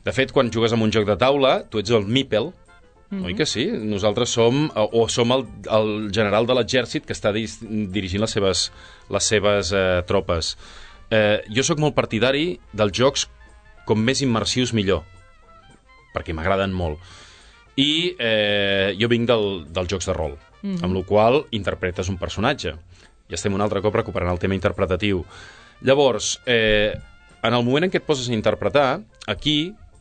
De fet, quan jugues amb un joc de taula, tu ets el Meeple, mm-hmm. oi que sí? Nosaltres som, o som el, el general de l'exèrcit que està dis, dirigint les seves, les seves eh, tropes. Eh, jo sóc molt partidari dels jocs com més immersius millor, perquè m'agraden molt. I eh, jo vinc del, dels jocs de rol, mm-hmm. amb la qual interpretes un personatge. I estem un altre cop recuperant el tema interpretatiu. Llavors, eh, en el moment en què et poses a interpretar, aquí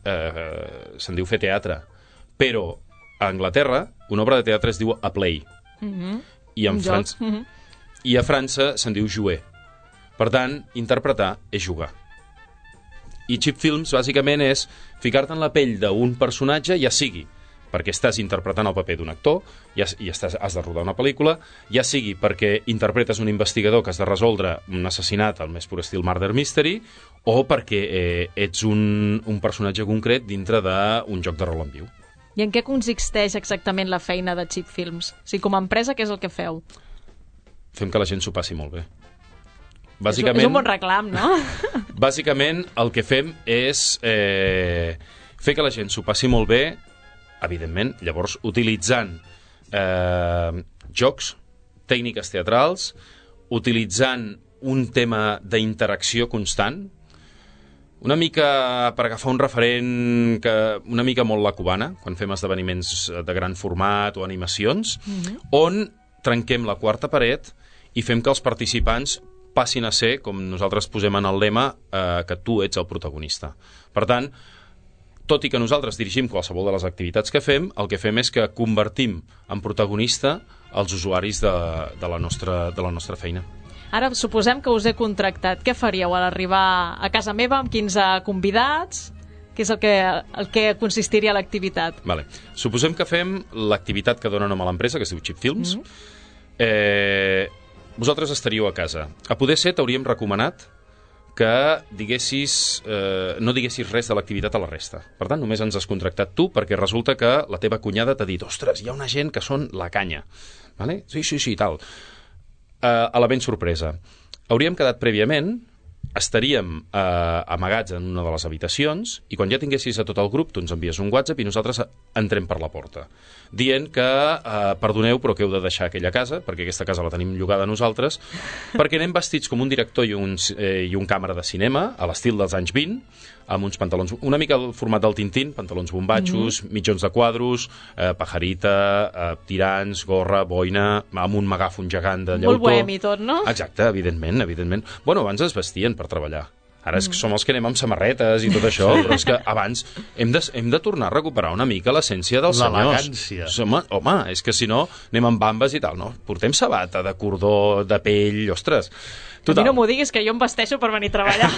eh, se'n diu fer teatre, però a Anglaterra una obra de teatre es diu a play, mm-hmm. I, en Fran... mm-hmm. I a França se'n diu jouer. Per tant, interpretar és jugar. I cheap films, bàsicament, és ficar-te en la pell d'un personatge, ja sigui perquè estàs interpretant el paper d'un actor i, has, i estàs, has de rodar una pel·lícula, ja sigui perquè interpretes un investigador que has de resoldre un assassinat al més pur estil Murder Mystery, o perquè eh, ets un, un personatge concret dintre d'un joc de rol en viu. I en què consisteix exactament la feina de Cheap Films? O sigui, com a empresa, què és el que feu? Fem que la gent s'ho passi molt bé. Bàsicament, és un bon reclam, no? Bàsicament, el que fem és eh, fer que la gent s'ho passi molt bé, evidentment, llavors utilitzant eh, jocs, tècniques teatrals, utilitzant un tema d'interacció constant, una mica per agafar un referent que, una mica molt la cubana, quan fem esdeveniments de gran format o animacions, mm-hmm. on trenquem la quarta paret i fem que els participants passin a ser, com nosaltres posem en el lema, eh, que tu ets el protagonista. Per tant, tot i que nosaltres dirigim qualsevol de les activitats que fem, el que fem és que convertim en protagonista els usuaris de, de, la, nostra, de la nostra feina. Ara, suposem que us he contractat. Què faríeu a l'arribar a casa meva amb quinze convidats? Què és el que, el que consistiria l'activitat? Vale. Suposem que fem l'activitat que dona nom a l'empresa, que es diu Cheap Films. Mm-hmm. Eh, vosaltres estaríeu a casa. A poder ser, t'hauríem recomanat que diguessis, eh, no diguessis res de l'activitat a la resta. Per tant, només ens has contractat tu, perquè resulta que la teva cunyada t'ha dit, ostres, hi ha una gent que són la canya. Vale? Sí, sí, sí, tal. Eh, a la ben sorpresa. Hauríem quedat prèviament, estaríem eh, amagats en una de les habitacions, i quan ja tinguessis a tot el grup, tu ens envies un WhatsApp i nosaltres entrem per la porta, dient que, eh, perdoneu, però que heu de deixar aquella casa, perquè aquesta casa la tenim llogada nosaltres, perquè anem vestits com un director i un, eh, i un càmera de cinema, a l'estil dels anys vint, amb uns pantalons, una mica el format del Tintín, pantalons bombatxos, mm-hmm. mitjons de quadros, eh, pajarita, eh, tirants, gorra, boina, amb un megàfon gegant de llautó. Molt bohemi tot, no? Exacte, evidentment, evidentment. Bueno, abans es vestien per treballar. Ara és que som els que anem amb samarretes i tot això, però és que abans hem de, hem de tornar a recuperar una mica l'essència dels senyors. L'elegància. Home, home, és que si no anem amb bambes i tal, no? Portem sabata de cordó, de pell, ostres. Total. A mi no m'ho diguis, que jo em vesteixo per venir a treballar.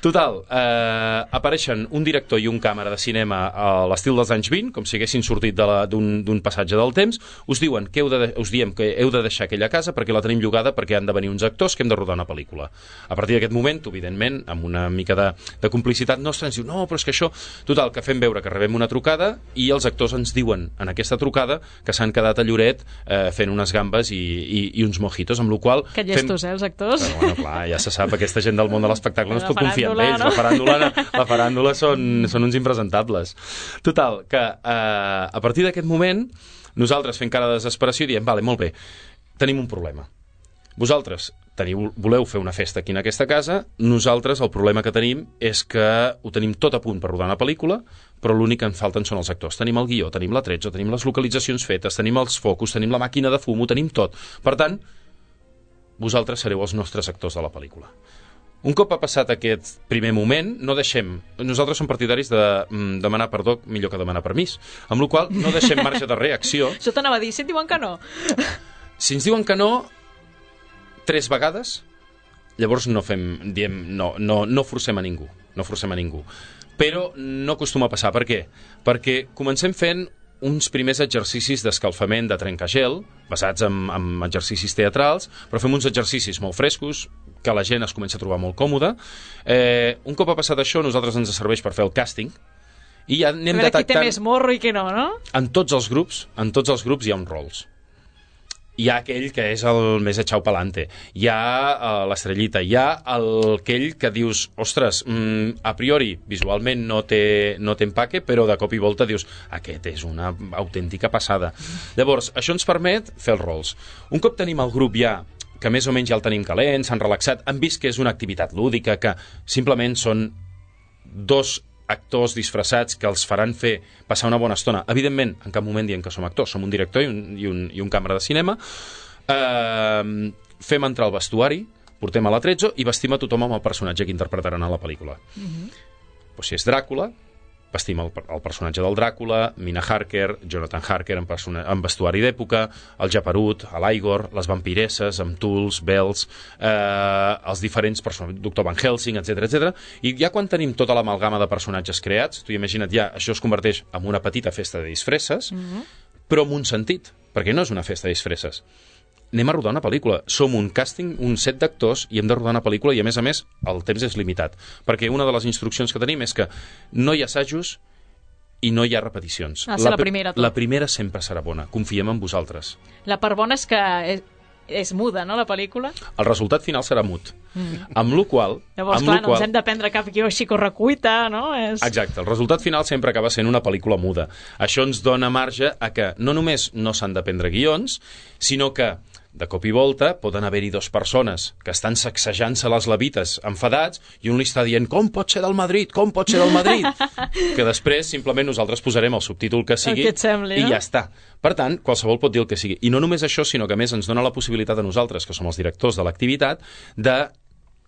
Total, eh, apareixen un director i un càmera de cinema a l'estil dels anys vint, com si haguessin sortit d'un passatge del temps, us diuen que heu de, us diem que heu de deixar aquella casa perquè la tenim llogada perquè han de venir uns actors que hem de rodar una pel·lícula. A partir d'aquest moment, evidentment, amb una mica de, de complicitat nostra, ens diu, no, però és que això... Total, que fem veure que rebem una trucada i els actors ens diuen en aquesta trucada que s'han quedat a Lloret eh, fent unes gambes i, i, i uns mojitos, amb la qual que llestos, fem... eh, els actors? Però, bueno, clar, ja se sap, aquesta gent del món de l'espectacle no es pot confiar en ells. No? La faràndula, la faràndula són, són uns impresentables. Total, que eh, a partir d'aquest moment nosaltres fem cara de desesperació i diem, vale, molt bé, tenim un problema. Vosaltres teniu, voleu fer una festa aquí en aquesta casa, nosaltres el problema que tenim és que ho tenim tot a punt per rodar una pel·lícula, però l'únic que en falten són els actors. Tenim el guió, tenim l'atrezo, tenim les localitzacions fetes, tenim els focus, tenim la màquina de fum, ho tenim tot. Per tant, vosaltres sereu els nostres actors de la pel·lícula. Un cop ha passat aquest primer moment, no deixem... Nosaltres som partidaris de mm, demanar perdó millor que demanar permís, amb la qual cosa no deixem marge de reacció. Això t'anava a dir, si et diuen que no. Si ens diuen que no, tres vegades, llavors no fem, diem, no, no, no forcem a ningú, no forcem a ningú. Però no acostuma a passar. Per què? Perquè comencem fent uns primers exercicis d'escalfament de trencagel, basats en, en exercicis teatrals, però fem uns exercicis molt frescos, que la gent es comença a trobar molt còmoda. Eh, un cop ha passat això, nosaltres ens serveix per fer el càsting, i ja anem detectant... qui té més morro i qui no, no? En tots els grups, en tots els grups hi ha uns rols. hi ha aquell que és el més echau pelante, hi ha uh, l'estrellita, hi ha el, aquell que dius, ostres, mm, a priori visualment no té, no té empaque, però de cop i volta dius, aquest és una autèntica passada. Llavors, això ens permet fer els rols. Un cop tenim el grup ja, que més o menys ja el tenim calent, s'han relaxat, han vist que és una activitat lúdica, que simplement són dos actors disfressats que els faran fer passar una bona estona. Evidentment, en cap moment diem que som actors, som un director i un, i un, i un càmera de cinema. Eh, fem entrar al vestuari, portem a l'Atrezzo i vestim a tothom amb el personatge que interpretaran a la pel·lícula. Mm-hmm. Pues si és Dràcula, vestim el, el personatge del Dràcula, Mina Harker, Jonathan Harker en, persona, en vestuari d'època, el Japerut, l'Igor, les vampiresses, amb tuls, bels, eh, els diferents personatges, doctor Van Helsing, etcètera, etcètera. I ja quan tenim tota l'amalgama de personatges creats, tu imagina't ja, això es converteix en una petita festa de disfresses, mm-hmm. però amb un sentit, perquè no és una festa de disfresses. Anem a rodar una pel·lícula. Som un càsting, un set d'actors i hem de rodar una pel·lícula i, a més a més, el temps és limitat. Perquè una de les instruccions que tenim és que no hi ha assajos i no hi ha repeticions. Ah, la, la primera, la primera sempre serà bona. Confiem en vosaltres. La part bona és que és, és muda, no, la pel·lícula? El resultat final serà mut. Mm. Amb lo qual... Llavors, amb clar, lo no qual... ens hem de prendre cap guió així correcuita, no? És... Exacte, el resultat final sempre acaba sent una pel·lícula muda. Això ens dona marge a que no només no s'han de prendre guions, sinó que de cop i volta poden haver-hi dues persones que estan sacsejant-se les levites enfadats i un li està dient com pot ser del Madrid, com pot ser del Madrid, que després simplement nosaltres posarem el subtítol que sigui que sembli, i no? ja està. Per tant, qualsevol pot dir el que sigui. I no només això, sinó que a més ens dona la possibilitat a nosaltres, que som els directors de l'activitat, de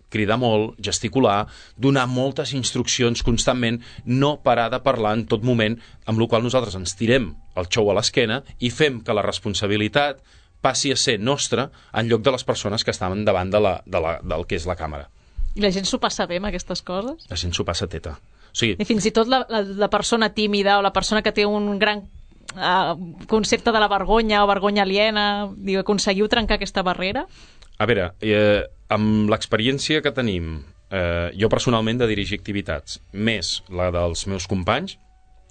cridar molt, gesticular, donar moltes instruccions constantment, no parar de parlar en tot moment, amb la qual nosaltres ens tirem el xou a l'esquena i fem que la responsabilitat passi a ser nostra en lloc de les persones que estaven davant de la, de la, del que és la càmera. I la gent s'ho passa bé amb aquestes coses? La gent s'ho passa teta. O sigui, I fins i tot la, la, la persona tímida o la persona que té un gran uh, concepte de la vergonya o vergonya aliena, diu, aconseguiu trencar aquesta barrera? A veure, eh, amb l'experiència que tenim, eh, jo personalment de dirigir activitats, més la dels meus companys,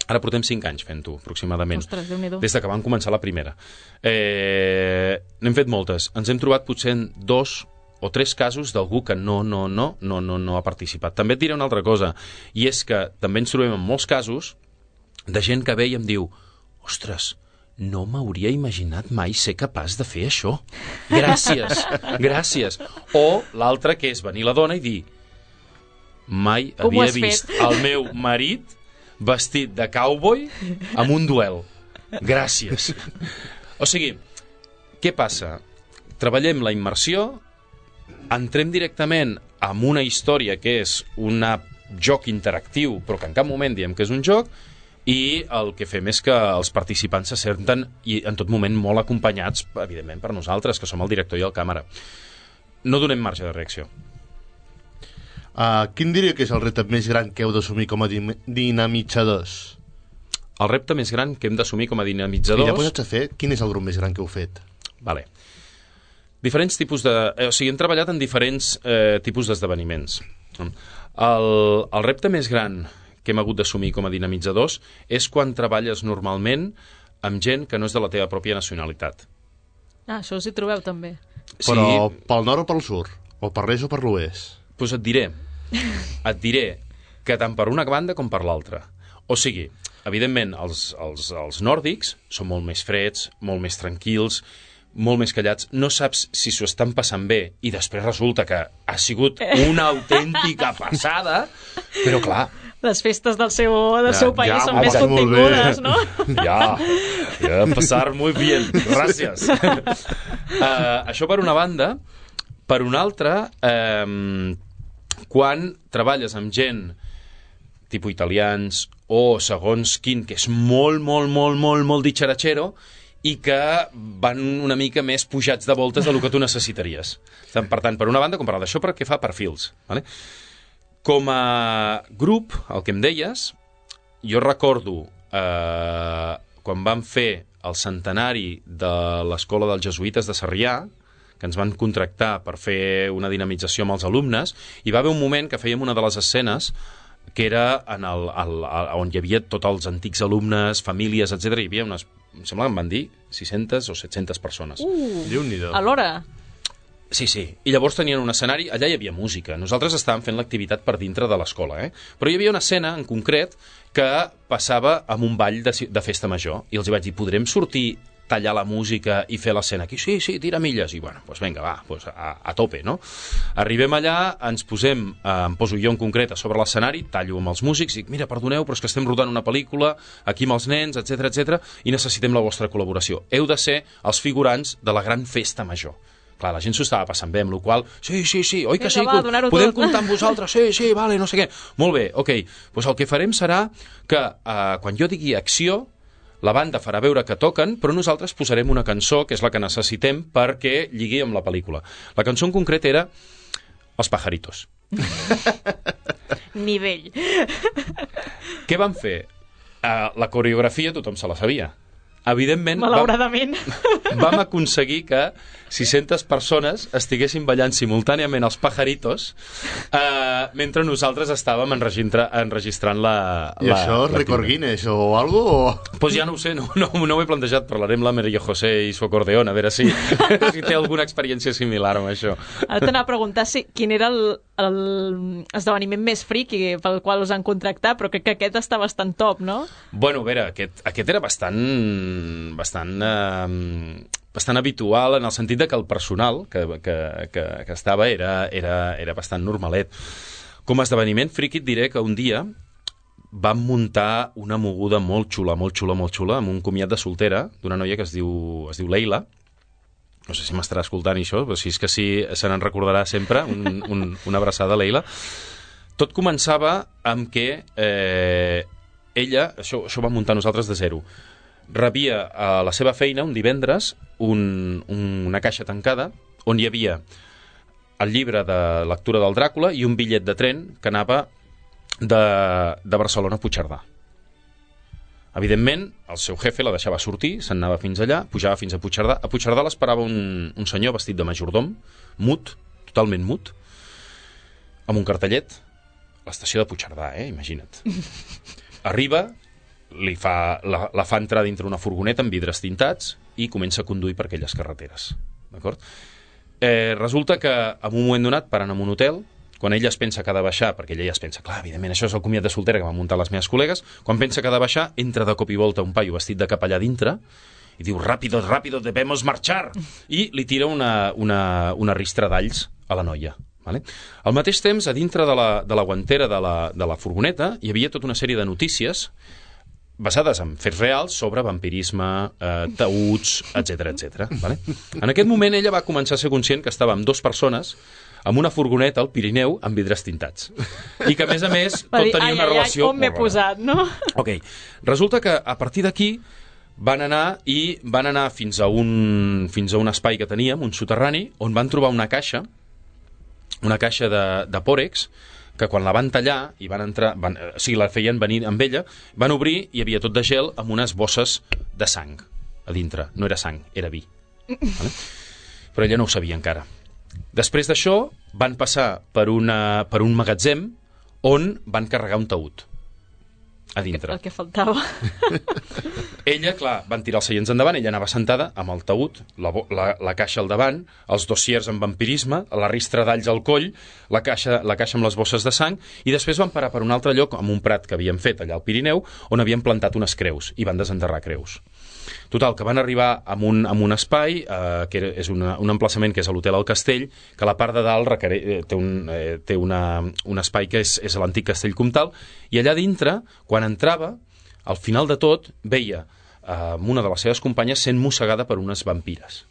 ara portem cinc anys fent-ho, aproximadament. Ostres, Déu-n'hi-do. Des que vam començar la primera. Eh, n'hem fet moltes. Ens hem trobat potser en dos o tres casos d'algú que no, no, no, no, no, no ha participat. També et diré una altra cosa, i és que també ens trobem en molts casos de gent que ve i em diu ostres, no m'hauria imaginat mai ser capaç de fer això. Gràcies, gràcies. O l'altre que és venir la dona i dir mai Com havia vist fet? el meu marit vestit de cowboy amb un duel. Gràcies. O sigui, què passa? Treballem la immersió, entrem directament amb una història que és un joc interactiu, però que en cap moment diem que és un joc, i el que fem és que els participants se senten i en tot moment molt acompanyats, evidentment, per nosaltres, que som el director i el càmera. No donem marge de reacció. Uh, quin diria que és el repte més gran que heu d'assumir com a dinamitzadors? El repte més gran que hem d'assumir com a dinamitzadors... I ja posats a fer, quin és el grup més gran que heu fet? Vale. Diferents tipus de... Eh, o sigui, hem treballat en diferents eh, tipus d'esdeveniments. El, el repte més gran que hem hagut d'assumir com a dinamitzadors és quan treballes normalment amb gent que no és de la teva pròpia nacionalitat. Ah, això us hi trobeu també. Però sí. Pel nord o pel sud? O per l'est o per l'oest? Doncs pues et diré, et diré que tant per una banda com per l'altra. O sigui, evidentment, els, els, els nòrdics són molt més freds, molt més tranquils, molt més callats, no saps si s'ho estan passant bé i després resulta que ha sigut una autèntica passada, però clar... Les festes del seu, del ja, seu país ja, són més contingudes, no? Ja, ja, passar muy bien, gràcies. uh, això per una banda. Per una altra, eh, quan treballes amb gent tipus italians o segons quin, que és molt, molt, molt, molt, molt ditxaratxero i que van una mica més pujats de voltes del que tu necessitaries. Per tant, per una banda, com per l'altra, això perquè fa perfils. Vale? Com a grup, el que em deies, jo recordo eh, quan vam fer el centenari de l'Escola dels Jesuïtes de Sarrià, que ens van contractar per fer una dinamització amb els alumnes, i va haver un moment que fèiem una de les escenes que era en el, el, el, on hi havia tots els antics alumnes, famílies, etcètera. Hi havia unes em sembla que em van dir sis-centes o set-centes persones. Uh, Déu-n'hi-do. Alhora? Sí, sí. I llavors tenien un escenari, allà hi havia música. Nosaltres estàvem fent l'activitat per dintre de l'escola, eh? Però hi havia una escena en concret que passava amb un ball de, de festa major. I els hi vaig dir, podrem sortir, tallar la música i fer l'escena aquí? Sí, sí, tira milles. I bueno, doncs vinga, va, doncs a, a tope, no? Arribem allà, ens posem, eh, em poso jo en concret a sobre l'escenari, tallo amb els músics i dic, mira, perdoneu, però és que estem rodant una pel·lícula aquí amb els nens, etcètera, etcètera, i necessitem la vostra col·laboració. Heu de ser els figurants de la gran festa major. Clar, la gent s'ho estava passant bé, amb la qual sí, sí, sí, oi que sí, va, podem tot. comptar amb vosaltres, sí, sí, vale, no sé què. Molt bé, ok, doncs el que farem serà que eh, quan jo digui acció, la banda farà veure que toquen, però nosaltres posarem una cançó, que és la que necessitem perquè lligui amb la pel·lícula. La cançó en concret era Els pajaritos. Nivell. Què van fer? Uh, la coreografia tothom se la sabia. Evidentment, malauradament, vam, vam aconseguir que sis-centes persones estiguessin ballant simultàniament els pajaritos eh, mentre nosaltres estàvem enregistra, enregistrant la... I la, això és record Guinness o algo? O... Pues ja no ho sé, no, no, no ho he plantejat. Parlarem amb la Maria José i su acordeón, a veure si, si té alguna experiència similar amb això. Ara t'anava a preguntar si, quin era el, el esdeveniment més friqui pel qual us han contractat, però crec que aquest està bastant top, no? Bueno, a veure, aquest, aquest era bastant... bastant, eh, bastant habitual en el sentit de que el personal que, que, que, que estava era, era, era bastant normalet. Com a esdeveniment friqui et diré que un dia vam muntar una moguda molt xula, molt xula, molt xula, amb un comiat de soltera d'una noia que es diu, es diu Leila. No sé si m'estarà escoltant això, però si és que sí, se n'en recordarà sempre, un, un, una abraçada, Leila. Tot començava amb que eh, ella, això, això ho vam muntar nosaltres de zero, rebia a la seva feina un divendres un, un, una caixa tancada on hi havia el llibre de lectura del Dràcula i un bitllet de tren que anava de, de Barcelona a Puigcerdà. Evidentment, el seu jefe la deixava sortir, se'n anava fins allà, pujava fins a Puigcerdà. A Puigcerdà l'esperava un, un senyor vestit de majordom, mut, totalment mut, amb un cartellet, l'estació de Puigcerdà, eh? Imagina't. Arriba, li fa, la, la fa entrar dintre una furgoneta amb vidres tintats i comença a conduir per aquelles carreteres. D'acord? Eh, resulta que en un moment donat paren en un hotel, quan ella es pensa que ha de baixar, perquè ella ja es pensa, clar, evidentment, això és el comiat de soltera que van muntar les meves col·legues, quan pensa que ha de baixar, entra de cop i volta un paio vestit de capellà dintre i diu, ràpido, ràpido, debemos marchar, i li tira una, una, una ristra d'alls a la noia. Vale? Al mateix temps, a dintre de la, de la guantera de la, de la furgoneta hi havia tota una sèrie de notícies basades en fets reals sobre vampirisme, eh, taüts, etcètera, etcètera. Vale? En aquest moment ella va començar a ser conscient que estava amb dues persones amb una furgoneta al Pirineu amb vidres tintats. I que, a més a més, tot dir, tenia ai, una ai, relació... Ai, on m'he posat, no? Ok. Resulta que a partir d'aquí van anar i van anar fins a un, fins a un espai que teníem, un soterrani, on van trobar una caixa, una caixa de, de pòrex, que quan la van tallar i van entrar, van, o sigui, la feien venir amb ella, van obrir i hi havia tot de gel amb unes bosses de sang a dintre. No era sang, era vi. Vale? Però ella no ho sabia encara. Després d'això van passar per, una, per un magatzem on van carregar un taüt a dintre. El que faltava. Ella, clar, van tirar els seients endavant, ella anava sentada amb el taüt, la, la, la caixa al davant, els dossiers amb vampirisme, la ristra d'alls al coll, la caixa, la caixa amb les bosses de sang, i després van parar per un altre lloc, amb un prat que havien fet allà al Pirineu, on havien plantat unes creus, i van desenterrar creus. Total, que van arribar a un, a un espai, eh, que és una, un emplaçament que és a l'Hotel al Castell, que a la part de dalt requere, eh, té, un, eh, té una, un espai que és, és l'antic Castell Comtal, i allà dintre, quan entrava, al final de tot, veia eh, una de les seves companyes sent mossegada per unes vampires.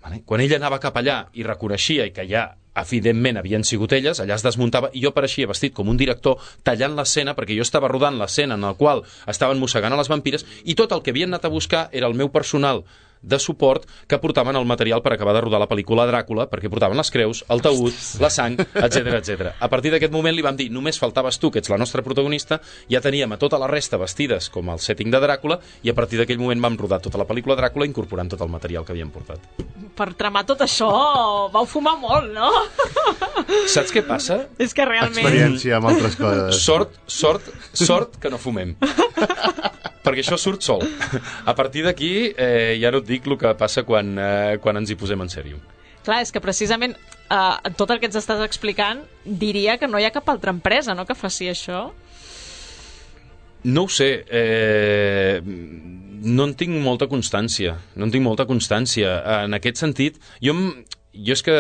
Vale? Quan ella anava cap allà i reconeixia i que ja, evidentment, havien sigut elles, allà es desmuntava i jo apareixia vestit com un director tallant l'escena, perquè jo estava rodant l'escena en la qual estaven mossegant a les vampires i tot el que havien anat a buscar era el meu personal de suport que portaven el material per acabar de rodar la pel·lícula Dràcula, perquè portaven les creus, el taüt, la sang, etcètera, etcètera. A partir d'aquest moment li vam dir, només faltaves tu, que ets la nostra protagonista, ja teníem a tota la resta vestides com el setting de Dràcula, i a partir d'aquell moment vam rodar tota la pel·lícula Dràcula incorporant tot el material que havíem portat. Per tramar tot això, vau fumar molt, no? Saps què passa? És que realment... Experiència amb altres coses. Sort, sort, sort que no fumem. perquè això surt sol. A partir d'aquí eh, ja no et dic el que passa quan, eh, quan ens hi posem en sèrio. Clar, és que precisament eh, tot el que ens estàs explicant diria que no hi ha cap altra empresa, no?, que faci això. No ho sé, eh, no en tinc molta constància, no en tinc molta constància. En aquest sentit, jo, jo és que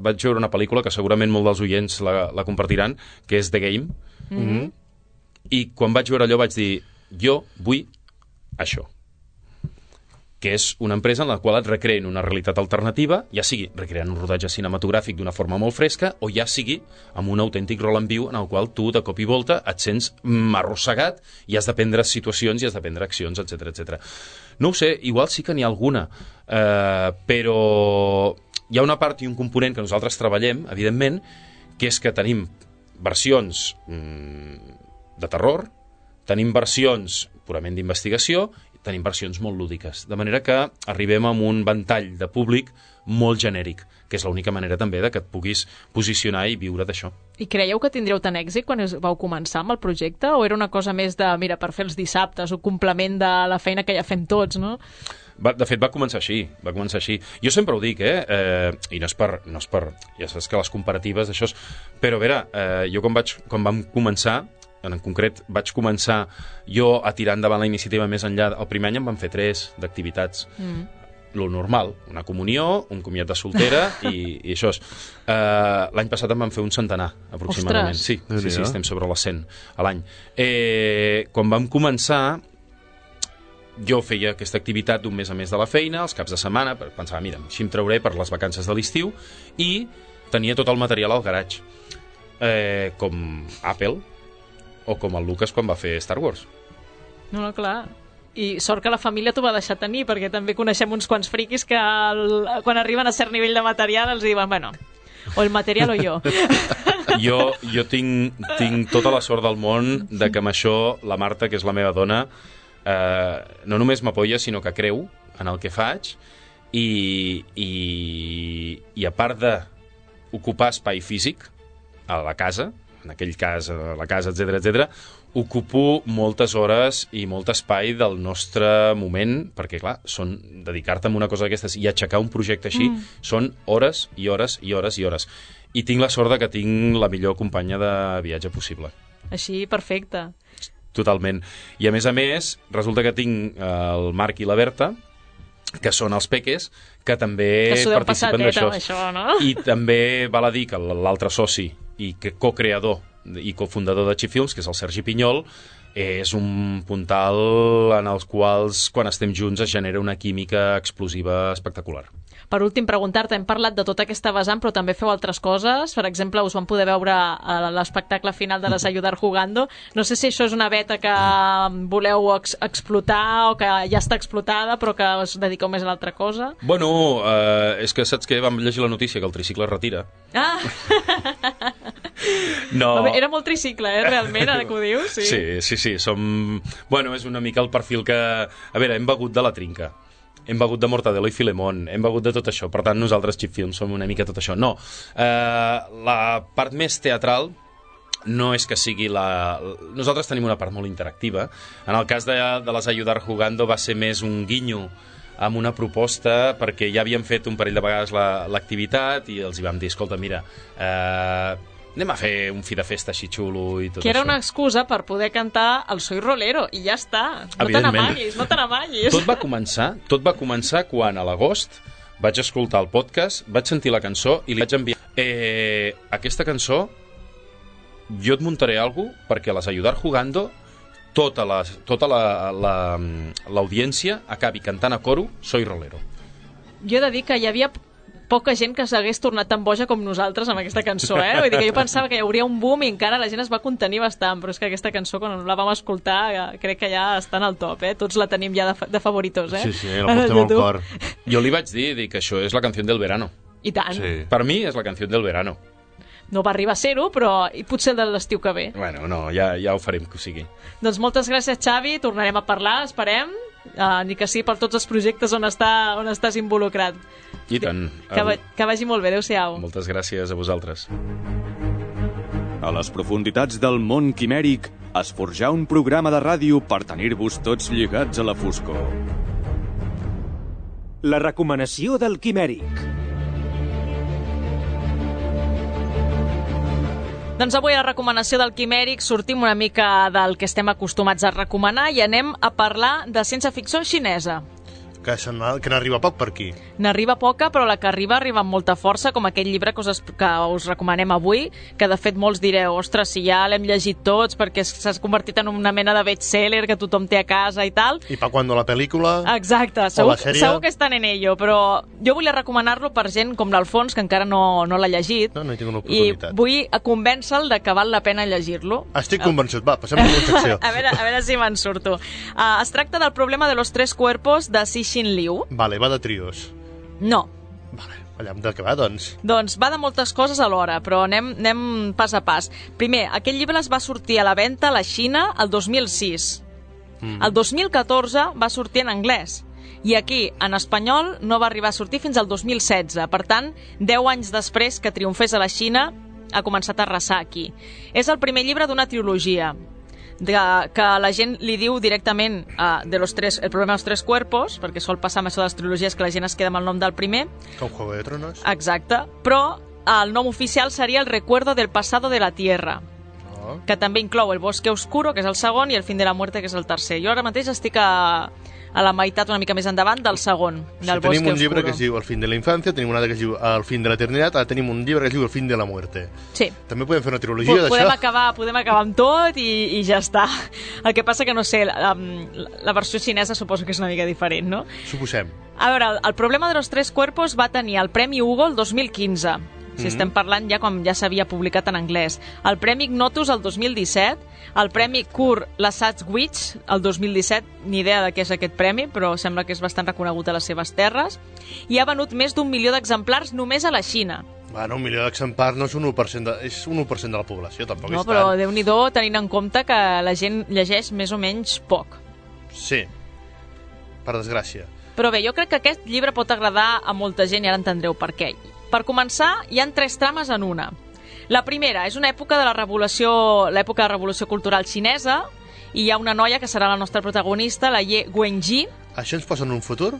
vaig veure una pel·lícula que segurament molts dels oients la, la compartiran, que és The Game, mm-hmm. i quan vaig veure allò vaig dir, jo vull això, que és una empresa en la qual et recreen una realitat alternativa, ja sigui recreant un rodatge cinematogràfic d'una forma molt fresca, o ja sigui amb un autèntic rol en viu en el qual tu, de cop i volta, et sents arrossegat i has de prendre situacions i has de prendre accions, etcètera, etcètera. No ho sé, igual sí que n'hi ha alguna, eh, però hi ha una part i un component que nosaltres treballem, evidentment, que és que tenim versions mm, de terror, tenim versions purament d'investigació, tenim versions molt lúdiques, de manera que arribem a un ventall de públic molt genèric, que és l'única manera també de que et puguis posicionar i viure d'això. I creieu que tindríeu tant èxit quan vau començar amb el projecte, o era una cosa més de, mira, per fer els dissabtes, o complement de la feina que ja fem tots, no? Va, de fet, va començar així, va començar així. Jo sempre ho dic, eh? eh I no és per... No és per ja saps que les comparatives d'això... És... Però, a veure, eh, jo quan, vaig, quan vam començar, en concret vaig començar jo a tirar endavant la iniciativa més enllà. El primer any en vam fer tres d'activitats. Mm. Lo normal, una comunió, un comiat de soltera i, i això és. Uh, l'any passat en vam fer un centenar, aproximadament. Ostres. Sí, sí, sí, estem sobre les cent a l'any. Eh, quan vam començar, jo feia aquesta activitat d'un mes a mes de la feina, els caps de setmana, pensava, mira, així em trauré per les vacances de l'estiu, i tenia tot el material al garatge. Eh, com Apple, o com el Lucas quan va fer Star Wars. No, no, clar. I sort que la família t'ho va deixar tenir, perquè també coneixem uns quants friquis que el, quan arriben a cert nivell de material els diuen, bueno, o el material o jo. Jo, jo tinc, tinc tota la sort del món de que amb això la Marta, que és la meva dona, eh, no només m'apoya, sinó que creu en el que faig i, i, i a part d'ocupar espai físic a la casa, en aquell cas, a la casa, etcètera, etcètera, ocupo moltes hores i molt espai del nostre moment, perquè, clar, són dedicar-te a una cosa d'aquestes i aixecar un projecte així, mm. són hores i hores i hores i hores. I tinc la sort de que tinc la millor companya de viatge possible. Així, perfecte. Totalment. I, a més a més, resulta que tinc el Marc i la Berta, que són els peques, que també que participen d'això. Això, no? I també val a dir que l'altre soci i que co-creador i cofundador de Cheap Films, que és el Sergi Pinyol, és un puntal en els quals, quan estem junts, es genera una química explosiva espectacular. Per últim, preguntar-te, hem parlat de tota aquesta vessant, però també feu altres coses. Per exemple, us van poder veure a l'espectacle final de Les Ayudar Jugando. No sé si això és una beta que voleu ex explotar o que ja està explotada, però que us dediqueu més a l'altra cosa. Bueno, eh, és que saps que vam llegir la notícia que el tricicle es retira. Ah! No. Era molt tricicle, eh, realment, ara que ho dius. Sí, sí, sí, sí. Som... Bueno, és una mica el perfil que... A veure, hem begut de la trinca. Hem begut de Mortadelo i Filemón, hem begut de tot això. Per tant, nosaltres, Cheap Films, som una mica tot això. No, eh, la part més teatral no és que sigui la... Nosaltres tenim una part molt interactiva. En el cas de, de Les Ayudar Jugando va ser més un guinyo amb una proposta, perquè ja havíem fet un parell de vegades l'activitat i els hi vam dir, escolta, mira... Eh, anem a fer un fi de festa així xulo i tot això. Que era una excusa per poder cantar el Soy Rolero, i ja està. No te n'amaguis, no te n'amaguis. Tot va començar, tot va començar quan a l'agost vaig escoltar el podcast, vaig sentir la cançó i li vaig enviar eh, aquesta cançó, jo et muntaré alguna cosa perquè a Les Ayudar Jugando tota la, tota la, la, l'audiència acabi cantant a coro Soy Rolero. Jo he de dir que hi havia poca gent que s'hagués tornat tan boja com nosaltres amb aquesta cançó, eh? Vull dir que jo pensava que hi hauria un boom i encara la gent es va contenir bastant, però és que aquesta cançó, quan la vam escoltar, crec que ja està en el top, eh? Tots la tenim ja de, fa de favoritos, eh? Sí, sí, la portem al cor. Jo li vaig dir, dir que això és la canció del verano. I tant. Sí. Per mi és la canció del verano. No va arribar a ser-ho, però i potser el de l'estiu que ve. Bueno, no, ja, ja ho farem que ho sigui. Doncs moltes gràcies, Xavi, tornarem a parlar, esperem, uh, ni que sí per tots els projectes on, està, on estàs involucrat. I tant. Que, que vagi molt bé, adéu-siau. Moltes gràcies a vosaltres. A les profunditats del món quimèric es forjà un programa de ràdio per tenir-vos tots lligats a la foscor. La recomanació del quimèric. Doncs avui a la recomanació del quimèric sortim una mica del que estem acostumats a recomanar i anem a parlar de ciència-ficció xinesa. Que, que n'arriba poc per aquí. N'arriba poca, però la que arriba arriba amb molta força, com aquell llibre que us, que us recomanem avui, que de fet molts direu, ostres, si ja l'hem llegit tots perquè s'ha convertit en una mena de best-seller que tothom té a casa i tal. I pa quan la pel·lícula... Exacte, segur, segur que estan en ello, però jo volia recomanar-lo per gent com l'Alfons, que encara no, no l'ha llegit. No, no hi tinc una oportunitat. I vull convèncer-lo de que val la pena llegir-lo. Estic convençut, va, passem a la secció. a, veure, a veure si me'n surto. Uh, es tracta del problema de los tres cuerpos de Cixin Liu. Vale, va de trios. No. Vale, allà de què va, doncs? Doncs va de moltes coses alhora, però anem, anem pas a pas. Primer, aquest llibre es va sortir a la venda a la Xina el dos mil sis. Mm. El dos mil catorze va sortir en anglès. I aquí, en espanyol, no va arribar a sortir fins al dos mil setze. Per tant, deu anys després que triomfés a la Xina, ha començat a arrasar aquí. És el primer llibre d'una trilogia, de, que la gent li diu directament uh, de los tres, el problema dels tres cuerpos, perquè sol passar amb això de les trilogies que la gent es queda amb el nom del primer. Com Juego de Tronos. Exacte, però el nom oficial seria El recuerdo del pasado de la Tierra, oh. que també inclou El bosque oscuro, que és el segon, i El fin de la muerte, que és el tercer. Jo ara mateix estic a, a la meitat, una mica més endavant, del segon, del sí, bosque oscuro. Tenim un llibre que es diu El fin de la infancia, tenim un altre que es diu El fin de la eternitat, ara tenim un llibre que es diu El fin de la muerte. Sí. També podem fer una trilogia d'això. Podem acabar, podem acabar amb tot i, i ja està. El que passa que, no sé, la, la versió xinesa suposo que és una mica diferent, no? Suposem. A veure, el, el problema de los tres cuerpos va tenir el Premi Hugo el dos mil quinze. Si mm-hmm. estem parlant ja quan ja s'havia publicat en anglès. El Premi Ignotus el dos mil disset, el Premi Kur Lasatwitch el dos mil disset, ni idea de què és aquest premi, però sembla que és bastant reconegut a les seves terres, i ha venut més d'un milió d'exemplars només a la Xina. Bueno, un milió d'exemplars no és un u per cent de, és un u per cent de la població, tampoc no, és tant. No, però Déu-n'hi-do, tenint en compte que la gent llegeix més o menys poc. Sí, per desgràcia. Però bé, jo crec que aquest llibre pot agradar a molta gent i ara entendreu per què. Per començar, hi han tres trames en una. La primera és una època de la revolució, l'època de la revolució cultural xinesa, i hi ha una noia que serà la nostra protagonista, la Ye Wenji. Això ens posa en un futur?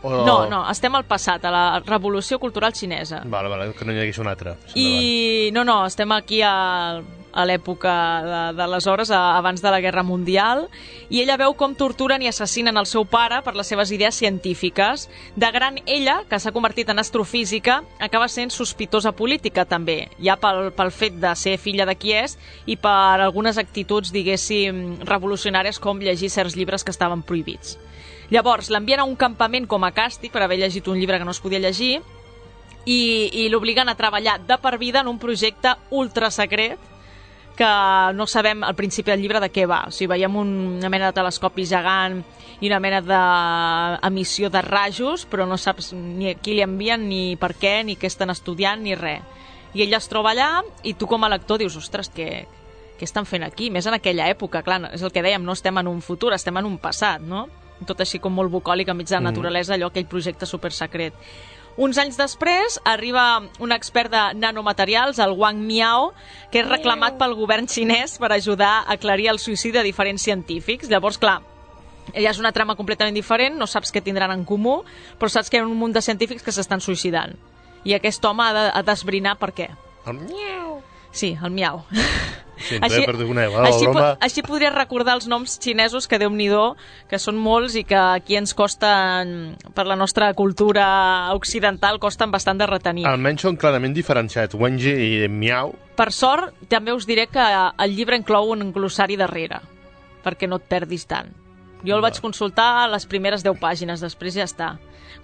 O... No, no, estem al passat, a la revolució cultural xinesa. Vale, vale, que no hi hagués una altra. I no, no, estem aquí a, a l'època de, d'aleshores, abans de la Guerra Mundial, i ella veu com torturen i assassinen el seu pare per les seves idees científiques. De gran, ella, que s'ha convertit en astrofísica, acaba sent sospitosa política també, ja pel, pel fet de ser filla de qui és i per algunes actituds, diguéssim, revolucionàries, com llegir certs llibres que estaven prohibits. Llavors, l'envien a un campament com a càstig per haver llegit un llibre que no es podia llegir i, i l'obliguen a treballar de per vida en un projecte ultrasecret que no sabem al principi del llibre de què va. O sigui, veiem una mena de telescopi gegant i una mena d'emissió de rajos, però no saps ni a qui li envien, ni per què, ni què estan estudiant, ni res. I ella es troba allà i tu com a lector dius, ostres, què, què estan fent aquí? Més en aquella època, clar, és el que dèiem, no estem en un futur, estem en un passat, no? Tot així com molt bucòlic, enmig de la naturalesa, allò, aquell projecte supersecret. Uns anys després arriba un expert de nanomaterials, el Wang Miao, que és reclamat pel govern xinès per ajudar a aclarir el suïcidi de diferents científics. Llavors, clar, ella és una trama completament diferent, no saps què tindran en comú, però saps que hi ha un munt de científics que s'estan suïcidant. I aquest home ha de, ha d'esbrinar per què. El miau. Sí, el miau. Sí, així, perdoneu, eh, així, po així podria recordar els noms xinesos, que Déu-n'hi-do, que són molts i que aquí ens costen, per la nostra cultura occidental, costen bastant de retenir. Almenys són clarament diferenciats, Wenji i Miau. Per sort, també us diré que el llibre inclou un glossari darrere, perquè no et perdis tant. Jo el vaig consultar a les primeres deu pàgines, després ja està.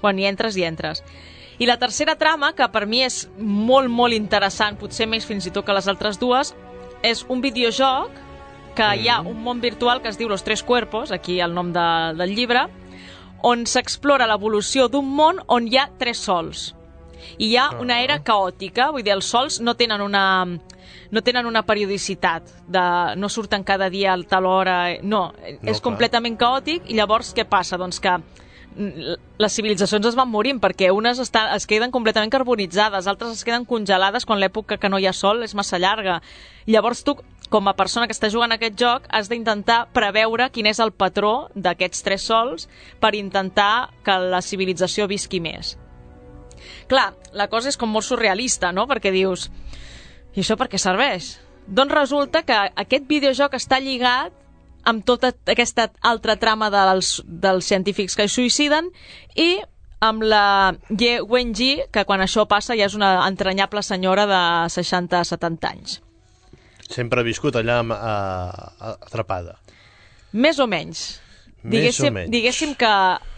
Quan hi entres, hi entres. I la tercera trama, que per mi és molt, molt interessant, potser més fins i tot que les altres dues, és un videojoc que mm. hi ha un món virtual que es diu Los Tres Cuerpos, aquí el nom de, del llibre, on s'explora l'evolució d'un món on hi ha tres sols. I hi ha una era caòtica, vull dir, els sols no tenen una, no tenen una periodicitat, de, no surten cada dia a tal hora, no, no és clar. Completament caòtic, i llavors què passa? Doncs que les civilitzacions es van morint, perquè unes estan, es queden completament carbonitzades, altres es queden congelades quan l'època que no hi ha sol és massa llarga. Llavors tu, com a persona que està jugant a aquest joc, has d'intentar preveure quin és el patró d'aquests tres sols per intentar que la civilització visqui més. Clar, la cosa és com molt surrealista, no? Perquè dius, i això per què serveix? Doncs resulta que aquest videojoc està lligat amb tota aquesta altra trama dels, dels científics que es suïciden i amb la Ye Wenji, que quan això passa ja és una entranyable senyora de seixanta a setanta anys. Sempre ha viscut allà uh, atrapada. Més o menys. Més diguéssim, o menys. Diguéssim que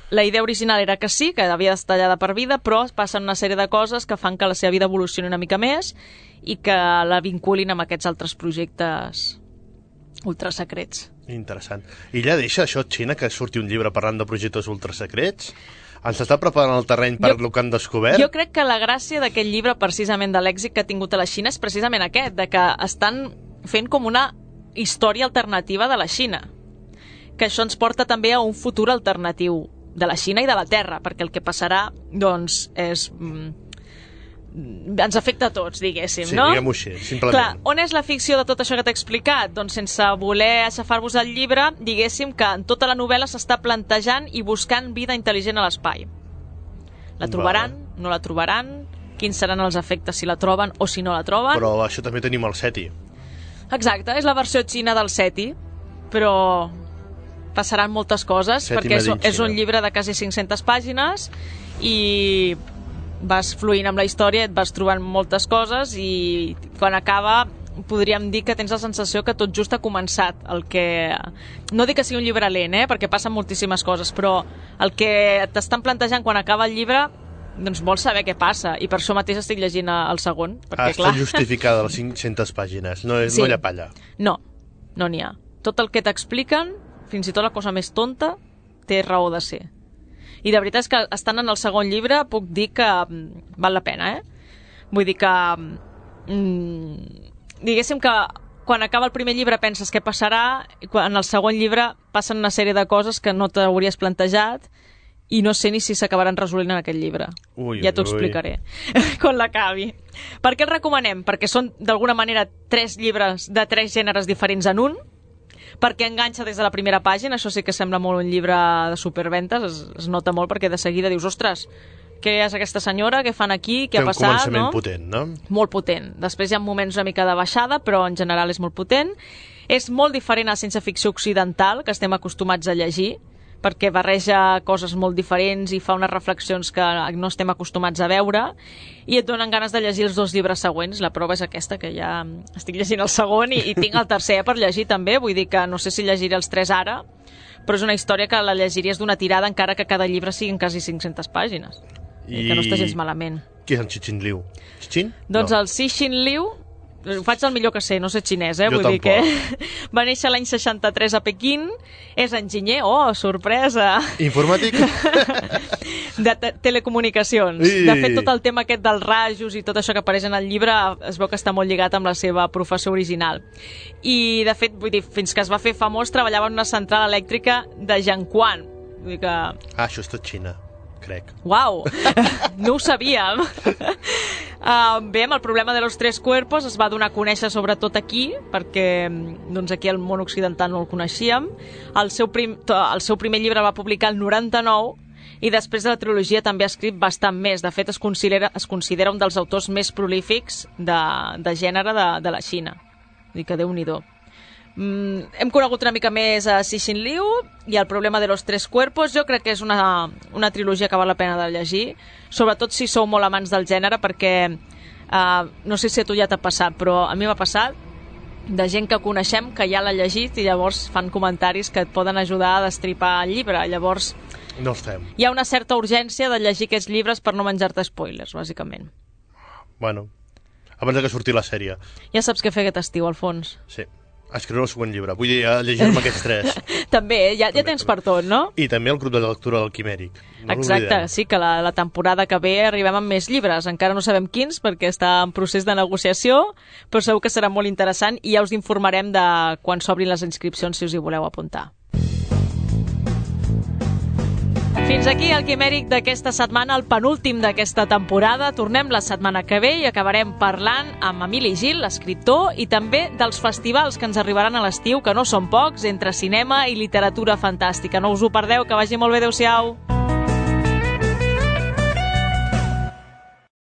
la idea original era que sí, que havia d'estar tallada per vida, però passen una sèrie de coses que fan que la seva vida evolucioni una mica més i que la vinculin amb aquests altres projectes ultrasecrets. Interessant. I ja deixa això, Xina, que surti un llibre parlant de projectes ultrasecrets? Ens està preparant el terreny per el que han descobert? Jo crec que la gràcia d'aquest llibre, precisament de l'èxit que ha tingut a la Xina, és precisament aquest, de que estan fent com una història alternativa de la Xina. Que això ens porta també a un futur alternatiu de la Xina i de la Terra, perquè el que passarà, doncs, és... ens afecta a tots, diguéssim, sí, no? Sí, diguem-ho així, simplement. Clar, on és la ficció de tot això que t'he explicat? Doncs sense voler aixafar-vos el llibre, diguéssim que en tota la novel·la s'està plantejant i buscant vida intel·ligent a l'espai. La trobaran? Vale. No la trobaran? Quins seran els efectes si la troben o si no la troben? Però això també tenim el SETI. Exacte, és la versió xina del SETI, però passaran moltes coses, SETI perquè és, és un Xina. llibre de quasi cinc-centes pàgines i vas fluint amb la història, et vas trobant moltes coses i quan acaba podríem dir que tens la sensació que tot just ha començat. El que... No dic que sigui un llibre lent, eh? Perquè passen moltíssimes coses, però el que t'estan plantejant quan acaba el llibre, doncs vols saber què passa, i per això mateix estic llegint el segon. Perquè, ah, està clar... justificada les cinc-centes pàgines, no, és, sí. no hi ha palla. No, no n'hi ha. Tot el que t'expliquen, fins i tot la cosa més tonta, té raó de ser. I de veritat és que estant en el segon llibre puc dir que val la pena, eh? Vull dir que... Mm, diguéssim que quan acaba el primer llibre penses què passarà, i en el segon llibre passen una sèrie de coses que no t'hauries plantejat i no sé ni si s'acabaran resolent en aquest llibre. Ui, ja t'ho ui. explicaré quan l'acabi. Per què el recomanem? Perquè són d'alguna manera tres llibres de tres gèneres diferents en un, perquè enganxa des de la primera pàgina, això sí que sembla molt un llibre de superventes, es, es nota molt perquè de seguida dius, ostres, què és aquesta senyora, què fan aquí, què ha passat, no? Té un començament potent, no? Molt potent. Després hi ha moments una mica de baixada, però en general és molt potent. És molt diferent a ciència ficció occidental, que estem acostumats a llegir, perquè barreja coses molt diferents i fa unes reflexions que no estem acostumats a veure, i et donen ganes de llegir els dos llibres següents. La prova és aquesta, que ja estic llegint el segon i, i tinc el tercer per llegir també, vull dir que no sé si llegiré els tres ara, però és una història que la llegiries d'una tirada encara que cada llibre siguin quasi cinc-centes pàgines. I... que no està gens malament. Qui és en Cixin Liu? Cixin? Doncs no. el Cixin Liu, ho faig el millor que sé, no sé xinès, eh? Jo Vull tampoc. dir que va néixer l'any seixanta-tres a Pequín, és enginyer, oh, sorpresa! Informàtic? de te telecomunicacions. I... De fet, tot el tema aquest dels rajos i tot això que apareix en el llibre es veu que està molt lligat amb la seva professió original. I, de fet, vull dir, fins que es va fer famós, treballava en una central elèctrica de Jiangquan. Vull dir que... Ah, això és tot Xina, crec. Uau! No ho sabíem. Uh, bé, amb el problema de los tres cuerpos es va donar a conèixer sobretot aquí, perquè doncs, aquí al món occidental no el coneixíem. El seu, prim, el seu primer llibre el va publicar el noranta-nou i després de la trilogia també ha escrit bastant més. De fet, es considera, es considera un dels autors més prolífics de, de gènere de, de la Xina. Vull dir que Déu-n'hi-do. Mm, hem conegut una mica més a Cixin Liu i el problema de los tres cuerpos. Jo crec que és una, una trilogia que val la pena de llegir, sobretot si sou molt amants del gènere, perquè uh, no sé si a tu ja t'ha passat, però a mi m'ha passat de gent que coneixem que ja l'ha llegit i llavors fan comentaris que et poden ajudar a destripar el llibre. Llavors no els fem. Hi ha una certa urgència de llegir aquests llibres per no menjar-te spoilers, bàsicament. Bueno, abans que surti la sèrie. Ja saps què fer aquest estiu, Alfons. Sí. A escriure el següent llibre. Vull dir, a llegir-me aquests tres. També, ja, ja tens per tot, no? I també el grup de lectura del Quimèric. No Exacte, sí, que la, la temporada que ve arribem amb més llibres. Encara no sabem quins, perquè està en procés de negociació, però segur que serà molt interessant i ja us informarem de quan s'obrin les inscripcions si us hi voleu apuntar. Fins aquí el Quimèric d'aquesta setmana, el penúltim d'aquesta temporada. Tornem la setmana que ve i acabarem parlant amb Emili Gil, l'escriptor, i també dels festivals que ens arribaran a l'estiu, que no són pocs, entre cinema i literatura fantàstica. No us ho perdeu, que vagi molt bé, adeu-siau.